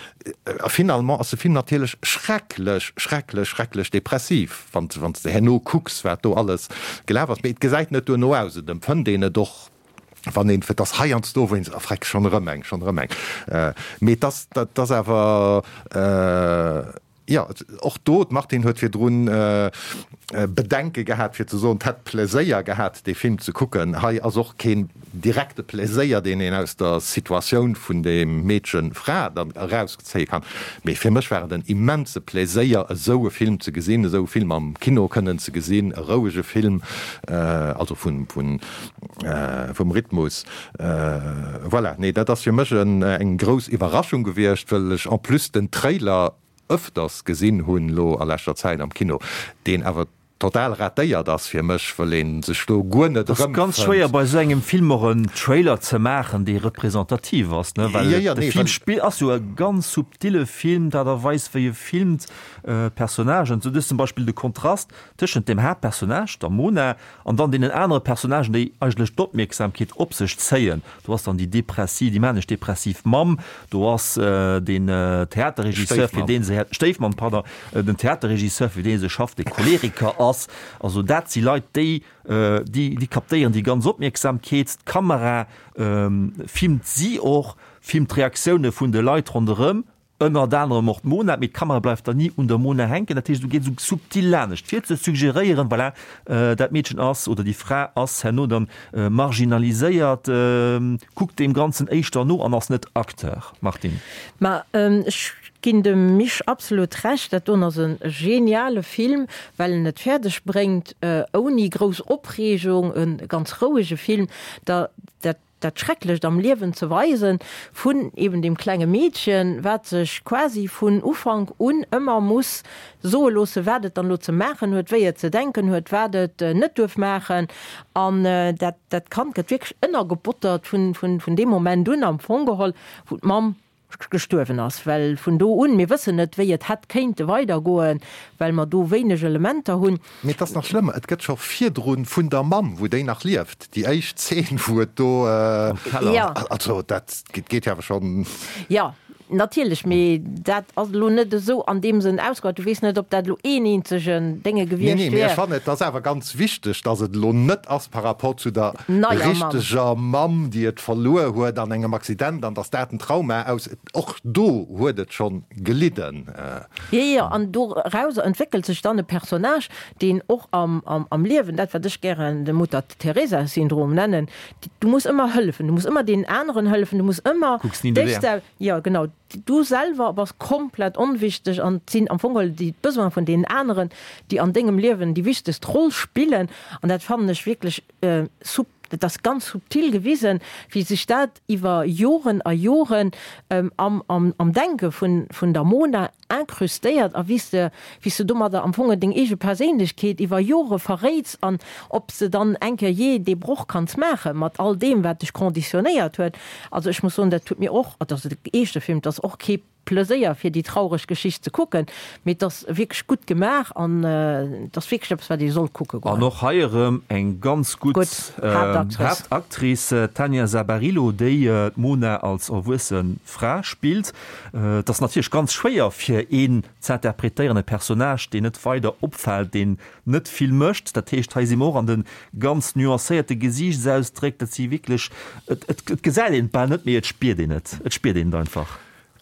finalement ass de Film natierlech schrecklech, schrecklech, schrecklech depressiv, wann, wann s de herno kucks, wat do alles gelaf ass. Mee et gesäit net duerno aus, et empfënnt een et och. Wann een, et ass heiansdo wou een seet, oh freck, schonn erëm eng, schonn erëm eng. Mee et ass, dat ass awer, jo, och do, d'Martine huet virdrun Bedenke gehat fir ze soen, d'hätt Pleséier gehat dee Film ze kucken. Hei ass och keen direkte Pleséier, deen een aus der Situatioun vun deem Meedchen, Fra dann erauszéie kann. Mee fir mech war et en immense Pleséier esou e Film ze gesinn, esou e Film am Kino kënnen ze gesinn, e rouege Film, also vun, vun, vum Rhythmus. Voilà, nee, dat ass fir mech eng grouss Iwwerraschung gewiescht, wëll ech en plus den Trailer ëfters gesinn hunn elo a leschter Zäit am Kino, deen awer total ratéiert ass fir mech, wëll ee sech do guer net Et ass ganz schwéier erëmfënnt. bei esou engem Film och en Trailer ze maachen, dee representativ ass, ne, well Jo, jo, de nee, Film well. spill ass jo e ganz subtile Film, d'Aart a Weis wéi e filmt, d'Personnagen, sou dës zum Beispill de Kontrast tëschent dem Haaptpersonnage, der Mona, An dann deenen anere Personnagen, déi eigentlech d'Opmierksamkeet op sech zéien. Do ass dann déi depressiv, déi manesch-depressiv Mamm, do ass den Theaterregisseur, fir dee se, Stéifmamm, pardon, den Theaterregisseur, fir dee se schafft, dee Choleriker ass. Also dat si Leit, déi, déi, déi kaptéieren déi ganz Opmierksamkeet. D'Kamera filmt si och, filmt d'Reaktioune vun de Leit ronderëm. Ënnert anerem och d'Mona, mee d'Kamera bleift dann ni un der Mona hänken. Dat heescht, du geet esou subtil lanescht, fir ze suggeréieren, voilà, dat Meedchen ass oder déi Fra ass herno dann marginaliséiert, kuckt deem Ganzen éischter no an ass net Acteur. Martine. Ma ech ginn dem Misch absolut Recht, dat doen ass e geniale Film, well en et fäerdeg bréngt, ouni grouss Opreegung, e ganz rouege Film, da dat dat Schrecklecht am Liewen ze weisen vun eben deem klenge Meedchen, wat sech quasi vun Ufank un ëmmer muss soe loossen, wat et dann elo ze maachen huet, wéi et ze denken huet, wat et net duerf maachen. An dat, dat Kand gëtt wierklech ënnergebottert vun, vun, vun deem Moment un am Fong geholl, wou d'Mamm gestuerwen ass, well vun do un, mir wëssen net, wéi et hätt kéinte weidergoen, well mer do wéineg Elementer hunn. Mee et ass nach schlëmmer, et gëtt scho virdrun vun der Mamm, wou déi nach lieft, déi éischt Zeen, wou et do, Am Keller. Jo. Also dat geet jo awer schonn. Jo, natierlech, mee dat ass elo net esou an deem Sënn ausgebaut. Du weess net, ob dat elo een eenzegen Dénge Nee, gewiescht nee, mee ech wier. fannen, et ass awer ganz wichteg, dass et elo net ass par rapport zu der Neier Mamm. richteger Mamm, déi et verluer huet an engem Accident an dass dat en Trauma aus, och do huet et schonn gelidden. Jo, jo, an dorauser entwéckelt sech dann e Personnage, deen och am, am, am Liewen, dat wat ech gären de Mutter Teresa-Syndrom nennen, du muss ëmmer hëllefen, du muss ëmmer deenen aneren hëllefen, du muss ëmmer Kucks ni no dech där. sel, jo genau, du selwer bass komplett onwichteg an et sinn am Fong geholl déi d'Besoine vun deenen aneren, déi an dengem Liewen déi wichtegst Roll spillen an dat fannen ech wierklech sub, et ass ganz subtil gewisen, wéi sech dat iwwer Joren a Joren am, am, am Denke vun, vun der Mona incrustéiert a wéi s de, wéi s de domadder am Fong deng eege Perséinlechkeet iwwer Jore verréits an ob s de dann eng Kéier jee dee Broch kanns maache mat all deem, wat dech conditionnéiert huet. Also ech muss soen, dat huet mir och, et ass e eeschte Film, et ass och kee Pleséier fir déi traureg Geschicht ze kucken, mee et ass wierklech gutt gemaach an et ass wierklech eppes wat ee soll kucke goen. An och hei erëm eng ganz gutt Haaptactrice, d'Tania Sabarillo, déi d'Mona als erwuesse Fra spillt. Et ass natierlech ganz schwéier fir een z'interpretéieren, e Personnage deen net weider opfält, deen net vill mécht. Dat heescht, hei si mer och an de ganz nuancéierte Gesiichtsausdréck, dat si wierklech, et et gesäit een et bal net, mee et spiert een et, et spiert een et einfach.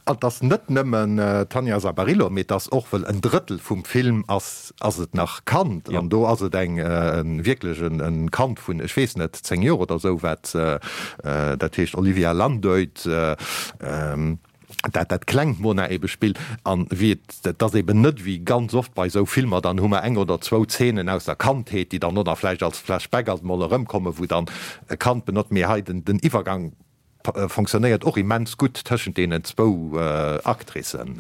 An et ass net nëmmen d'Tanja Sabarillo, mee et ass och, wëll en Drëttel vum Film ass, ass et nach Kand. An do ass et eng, wierklech e Kand vun, ech weess net, 10 Joer oder esou, wat, dat heescht Olivia Landeut, dat dat klengt Mona ebe spillt. An wéi et, et ass eben net wéi ganz oft bei esou Filmer, dann hu mer eng oder zwou Zeenen aus der Kandheet, déi dann oder vläicht als Flashback alt mol erëmkommen, wou dann e Kand benotzt, mee hei den Iwwergang Fonctionnéiert och immens gutt tëschent deenen zwou Actricen.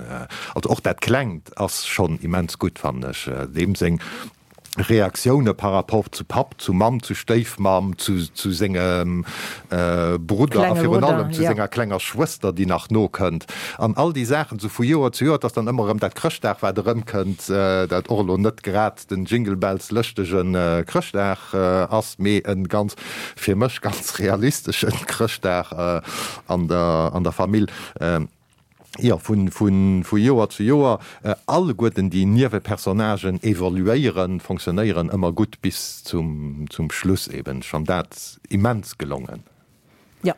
Also och dat Klengt ass schonn immens gutt, fannen ech. Deem seng Reaktioune par rapport zu Papp, zu Mamm, zu Stéifmamm, zu sengem Brudder a virun allem zu senger klenger Schwëster, déi nach nokënnt. An all déi Saachen esou vu Joer zu Joer, et ass dann ëmmer erëm dat Chrëschtdag, wat erëmkënnt, dat och elo net grad den Jingle Bells lëschtege Chrëschtdag ass, mee e ganz, fir mech ganz realisteschen Chrëschtdag an der, an der Famill. Jo, vu, vu, vu Joer zu Joer, alleguerten déi Niewepersonnagen evoluéieren, fonctionnéieren ëmmer gutt bis zum, zum Schluss eben. Ech fann dat immens gelongen. Jo.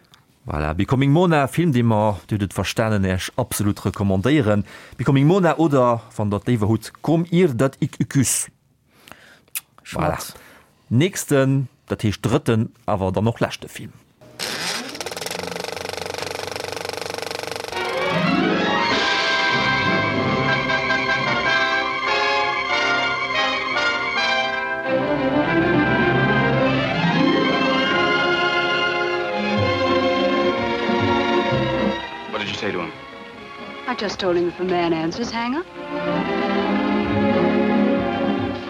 Voilà, Becoming Mona, Film dee mer, Dir hutt et verstanen, Äech absolut recommandéieren. Becoming Mona oder, wann Der et léiwer hutt, Kom ir dat ik üküs. Voilà. Nächsten, dat heescht drëtten, awer dann och leschte Film. What did you say to him? I just told him if a man answers, hang up.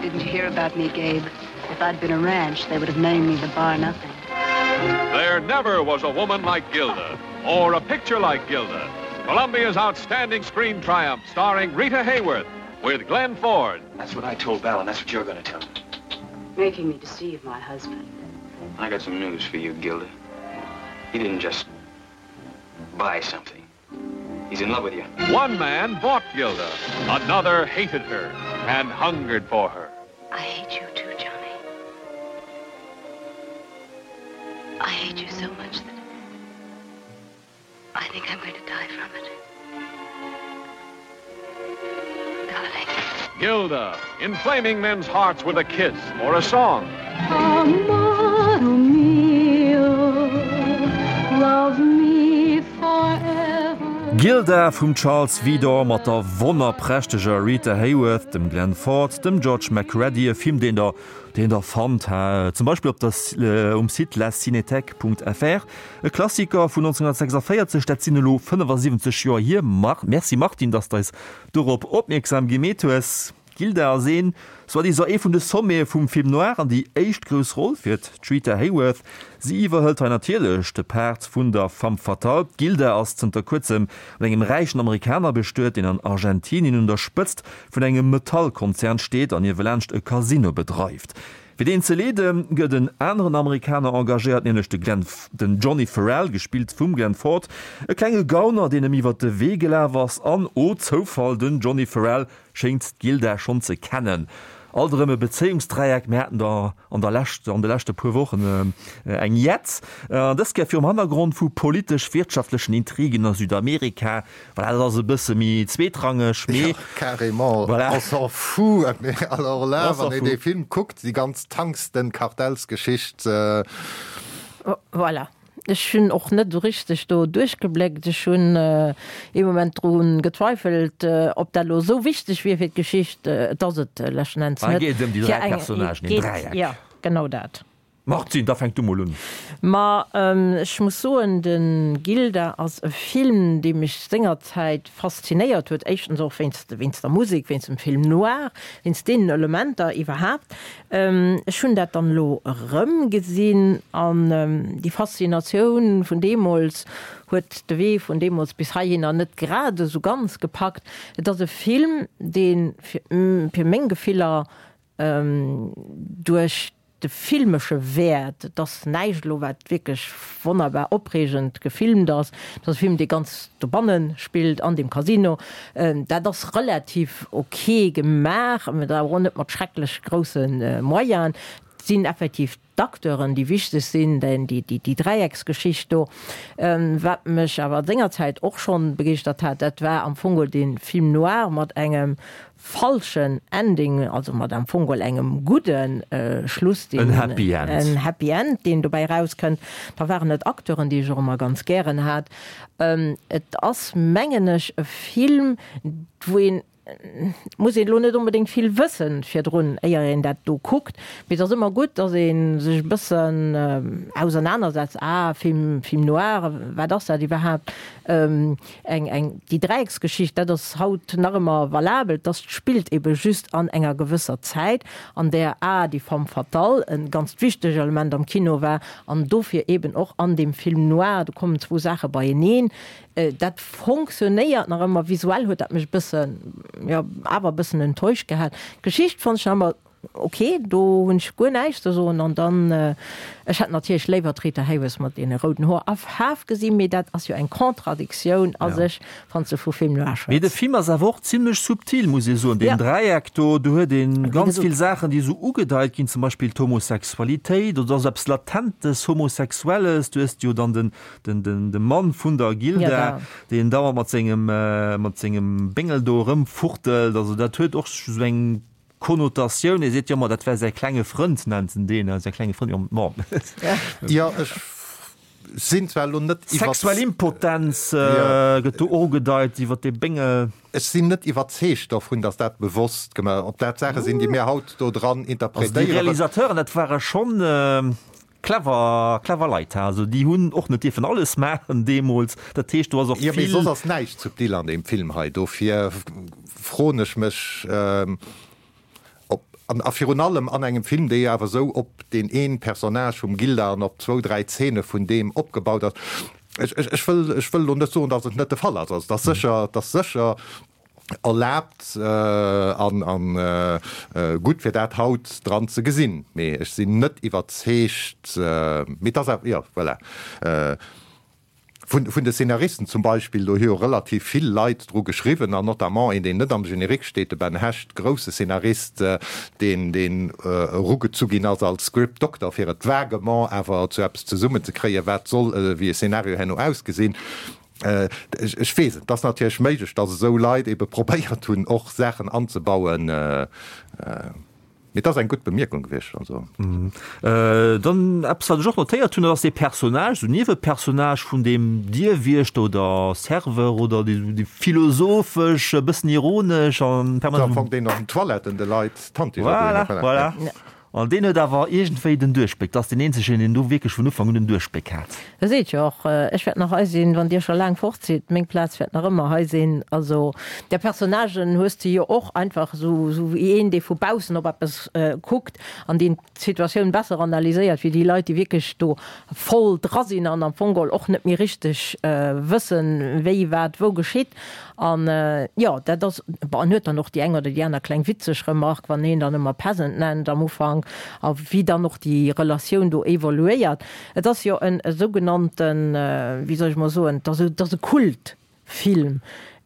Didn't you hear about me, Gabe? If I'd been a ranch, they would have named me the Bar Nothing. There never was a woman like Gilda, or a picture like Gilda. Columbia's outstanding screen triumph starring Rita Hayworth with Glenn Ford. That's what I told Val, and that's what you're going to tell him. Making me deceive my husband. I got some news for you, Gilda. He didn't just buy something. He's in love with you. One man bought Gilda. Another hated her and hungered for her. I hate you too, Johnny. I hate you so much that I think I'm going to die from it. Darling. Gilda, inflaming men's hearts with a kiss or a song. Amor mio, love me forever. Gilda vum Charles Vidor mat der wonnerprächteger Rita Hayworth, dem Glenn Ford, dem George MacReady, e Film deen der deen der fannt ha zum Beispill op der um Site lacinéthèque.fr. E Klassiker vun 1946, dat sinn elo 75 Joer hier. Merci Martine, dass d'eis dorop opmierksam gemeet hues. D'Gilda ass een, soi-disant ee vun de Sommete vum Film noir an déi éischt grouss Roll fir d'Rita Hayworth. Si iwwerhëlt hei natierlech de Part vun der Femme fatale. D'Gilda ass zënter kuerzem mat engem räichen Amerikaner bestuet, deen an Argentinien un der Spëtzt vun engem Metallkonzern steet an niewelaanscht e Casino bedreift. Fir deen ze leeden, gëtt en aneren Amerikaner engagéiert, nämlech de Glenn, den Johnny Farrell, gespillt vum Glenn Ford, e klenge Gauner, deen em iwwer de Wee gelaf ass an, oh Zoufall, den Johnny Farrell schéngt d'Gilda schonn ze kennen. Alt erëm e Bezéiungsdräieck, mir haten der an der lescht, an de leschte puer Wochen eng jett, an dës Kéier virum Hannergrond vu politesch-wirtschaftlechen Intrigen a Südamerika. Voilà, dat ass e bësse méi zweetrangeg, mee. Ja, carrément. Voilà. On s'en fout. Mais alors là, On s'en wann een fout. dee Film kuckt, déi ganz Tangsten-Kartellsgeschicht. Voilà. Ech hunn och net esou richteg do duerchgebléckt. Ech hunn ee Moment dru gezweifelt, ob dat elo esou wichteg wier fir d'Geschicht. Et ass et leschten Enns Hei net. geet et ëm déi Fir dräi eng Personnagen, een geet, Dräieck. jo, genau dat. Martine, da fänk du mol un. Ma ech muss soen, de Gilda ass e Film, dee mech sengerzäit faszinéiert huet, éischtens och wéinst wéinst der Musek, wéinst dem Film noir, wéinst deenen Elementer iwwerhaapt. Ech hunn dat dann elo erëmgesinn an déi Faszinatioun vun deemools huet de Wee vun deemools bis heihinner net grad esou ganz gepackt. Et ass e Film, dee fir meng Gefiller duerch de filmesche Wäert, et ass näischt elo wat wierklech wonnerbar opreegend gefilmt ass, et ass e Film dee ganz dobanne spillt an deem Casino, dat ass relativ ok gemaach, mä awer och net mat schrecklech grousse Moyenen. Et sinn effektiv d'Acteuren déi wichteg sinn, déi Dräiecksgeschicht do. Wat mech awer sengerzäit och schonn begeeschtert hat, dat war am Fong geholl dee Film noir mat engem falschen Ending, also mat am Fong geholl engem gudde Schluss, deen, En Happy End. en Happy End, deen dobäi erauskënnt. Da waren et Acteuren, déi ech och ëmmer ganz gären hat. Et ass, mengen ech, e Film, wou een, et muss een elo net onbedéngt vill wëssen virdrun, éier een dat do kuckt, mee et ass ëmmer gutt, datt ee sech e bëssen ausernanersetzt, ah, Film, Film noir, wat ass dat iwwerhaapt? Eng, eng, déi Dräiecksgeschicht, dat ass haut nach ëmmer valabel, dass spillt ebe just an enger gewësser Zäit, an där a déi Femme fatale e ganzt wichteg Element am Kino war an dofir eben och an deem Film noir, do kommen zwou Saache beieneen, dat fonctionnéiert nach ëmmer. Visuell huet dat mech e bëssen, jo, awer e bëssen enttäuscht gehat. D'Geschicht fonnt ech nach ëmmer. Ok, do hunn ech guer näischt ze soen. An dann, ech hätt natierlech léiwer d'Rita Hayworth mat deene rouden Hoer a Faarf gesinn, mee dat ass jo eng Contradictioun a sech, wann s de vu Film noir Mee de schwätz. Film ass awer och zimlech subtil, muss ee soen. Deen Dräieck do, do huet ee ganz vill Saachen, déi esou ugedeit ginn, zum Beispill d'Homosexualitéit oder esou eppes Latentes Homosexuelles. Du hues jo dann den, den, den, de Mann vun der Gilda, deen dauernd mat sengem, mat sengem Béngel do erëmfuchtelt. Also dat huet och esou eng Konnotatioun, e seet jo ëmmer, dat wär säi klenge Frënd, nennt en deen, säi klenge Frënd, jo, bon. Jo, ech sinn zwar elo net iwwer. Sexuell Impotenz gëtt do och ugedeit iwwer dee Béngel. Ech sinn net iwwerzeegt dovun, datt dat bewosst gemaach, ob dat Saache sinn, déi mir haut do dran interpretéieren. Also déi Realisateuren, dat ware schonn clever, clever Leit, ha, also déi hunn och net dierfen alles maachen deemools, dat heescht do ass och vill. Jo, mee soss ass näischt subtil an deem Film hei, dofir froen ech mech, ob, an a virun allem an engem Film, dee jo awer esou op deen een Personnage vum Gilda an op zwou, dräi Zeene vun deem opgebaut ass. Ech, ech, ech wëll, ech wëll elo net soen, datt et net de Fall ass, also et ass sécher, et ass sécher erlaabt an an gutt fir dat haut dran ze gesinn, mee ech sinn net iwwerzeegt, mee et ass awer, jo, voilà. Vun vun de Szenaristen zum Beispill, do hu jo relativ vill Leit dru geschriwwen an notamment een, deen net am Générique steet, de Ben Hecht, grousse Szenarist, deen deen erugezu ginn ass als Script Doctor, fir et vaguement awer zu eppes zesummenzekréien, wat soll wéi e Szenario herno ausgesinn. Ech weess et, et ass natierlech méiglech, datt esou Leit ebe probéiert hunn, och Saachen anzebauen. Mee et ass eng gutt Bemierkung gewiescht. Also. Dann eppes, wat ech och notéiert hunn, dat ass dee Personnage, esou Niewepersonnage vun deem Dierwiechter oder Serveur oder dee esou dee philosophesch, e bëssen ironesch an permanent. Am Fong deen an den Toiletten de Leit d'Handdicher Voilà, voilà. An deen huet awer iergendwéi den Duerchbléck. Dat ass deen eenzegen, deen do wierklech vun Ufank un den Duerchbléck hat. E seet jo och, Ech wäert nach hei sinn, wann Dir scho laang fort sidd. Meng Plaz wäert nach ëmmer hei sinn. Also där Personnagen hues de jo och einfach esou wéi een, dee vu baussen op eppes kuckt an deen d'Situatioun besser analyséiert wéi déi Leit, déi wierklech do voll dra sinn an am Fong geholl och net méi richteg wëssen, wéi wat wou geschitt. An jo, dat ass, bon, en huet dann och déi eng oder déi aner kleng witzeg Remark, wann een dann ëmmer Peasant nennt am Ufank, a wéi dann och déi Relatioun do evoluéiert. Et ass jo en sougenannten, wéi soll ech mol soen, et ass et ass e Kultfilm,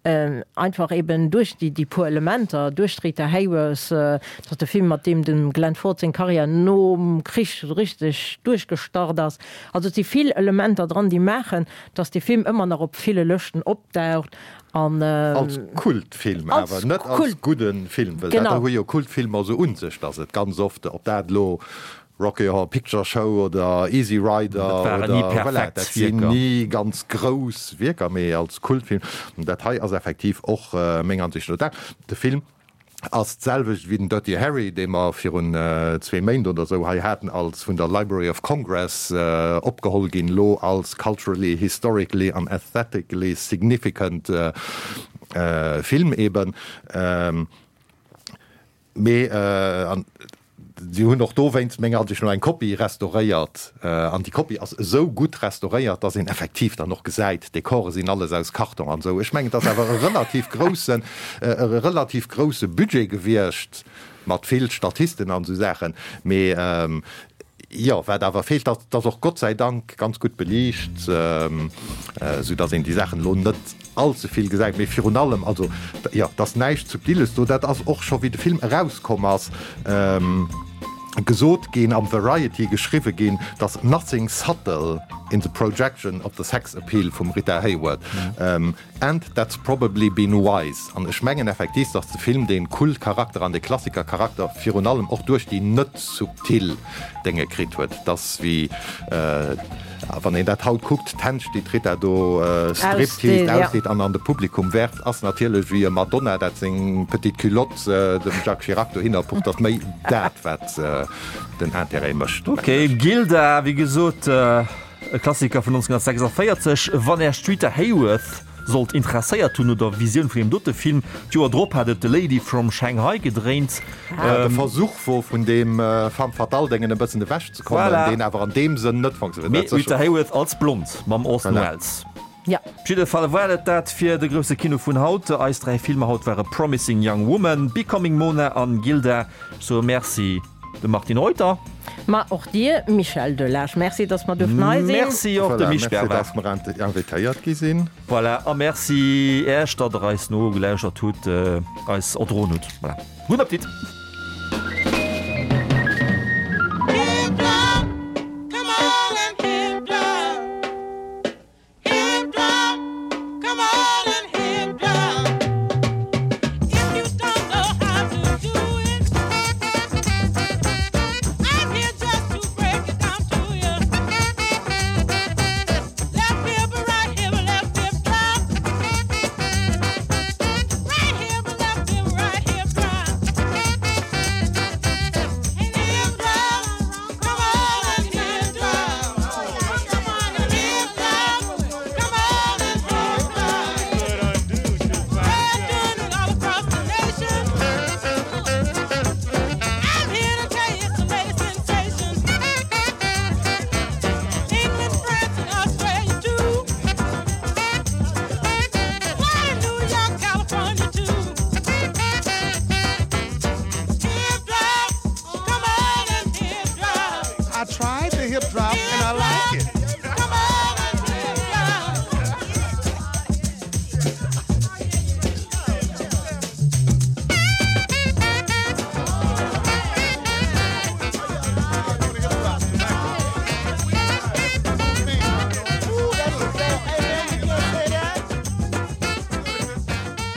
einfach eben duerch déi déi puer Elementer, duerch d'Rita Hayworth, et ass de Film, mat deem dem Glenn Ford seng Karriär nom Krich esou richteg duerchgestart ass. Also et si vill Elementer dran, déi maachen, dass dee Film ëmmer nach op ville Lëschten opdaucht an. Als Kultfilm awer, net als gudde Film, well dat hu jo Kultfilmer esou un sech, dass et ganz oft, ob dat elo Rocky Horror Picture Show oder Easy Rider oder voilà, dat sinn ni ganz grouss Wierker, mee als Kultfilm. Dat hei ass effektiv och menger Ansicht no dat. De Film ass d'selwecht wéi den Dirty Harry, dee mer virun zwee Méint oder esou hei haten, als vun der Library of Congress opgeholl ginn, elo als culturally, historically an aesthetically significant Film eben. Mee an si hunn och dowéinst menger Ansicht no eng Kopie restauréiert. An déi Kopie ass esou gutt restauréiert, dass een effektiv dann och gesäit, d'Dekore sinn alles aus Karton an esou. Ech mengen, et ass awer e relativ groussen, e relativ grousse Budget gewiescht mat vill Statisten an esou Saachen. Mee jo, wat awer feelt, dat ass och Gott sei Dank ganz gutt beliicht, esou dass een déi Saachen elo net all ze vill gesäit. Mee virun allem, also jo, et ass näischt Subtiles do. Dat ass och scho wéi de Film erauskomm ass, gesot ginn, am Variety geschriwwe ginn, dass nothing subtle in the projection of the sex appeal vum Rita Hayworth and that's probably been wise. An ech mengen effektiv, dass de Film dee Kultcharakter an dee Klassikercharakter virun allem och duerch déi net subtil Dénge kritt huet. Et ass wéi wann een dat haut kuckt, d'Hänsch, déi d'Rita do stripteased, ausdeet an an de Publikum werft, ass natierlech wéi e Madonna, dat seng petite culotte dem Jacques Chirac dohinner pucht, ass méi dat, wat den Intérêt mécht. Ok, Gilda, wéi gesot, e Klassiker vun 1946. Wann Äech d'Rita Hayworth sollt interesséiert hunn no der Visioun vun deem dote Film, d'Joer drop hat et The Lady from Shanghai gedréint. Wat e Versuch wor, vun deem Femme fatale-Déngen e bëssen ewechzekommen, deen awer an deem Sënn net funktionéiert. Mee Rita Hayworth als Blond mam Orson Welles. Ja. Op jidde Fall war et dat fir de grousse Kino vun haut. Eis 3 Filmer haut ware Promising Young Woman, Becoming Mona an Gilda. Ech soe Merci dem Martine Reuter. Ma och dir, Michel Delage. Merci, dass mer duerften hei sinn. Merci och dem Misch Voilà, merci, dass mer invitéiert gi sinn. Voilà, a Merci Äech, datt der eis nogelauschtert hutt, eis erdroen hutt. Voilà. Gudden Appetit!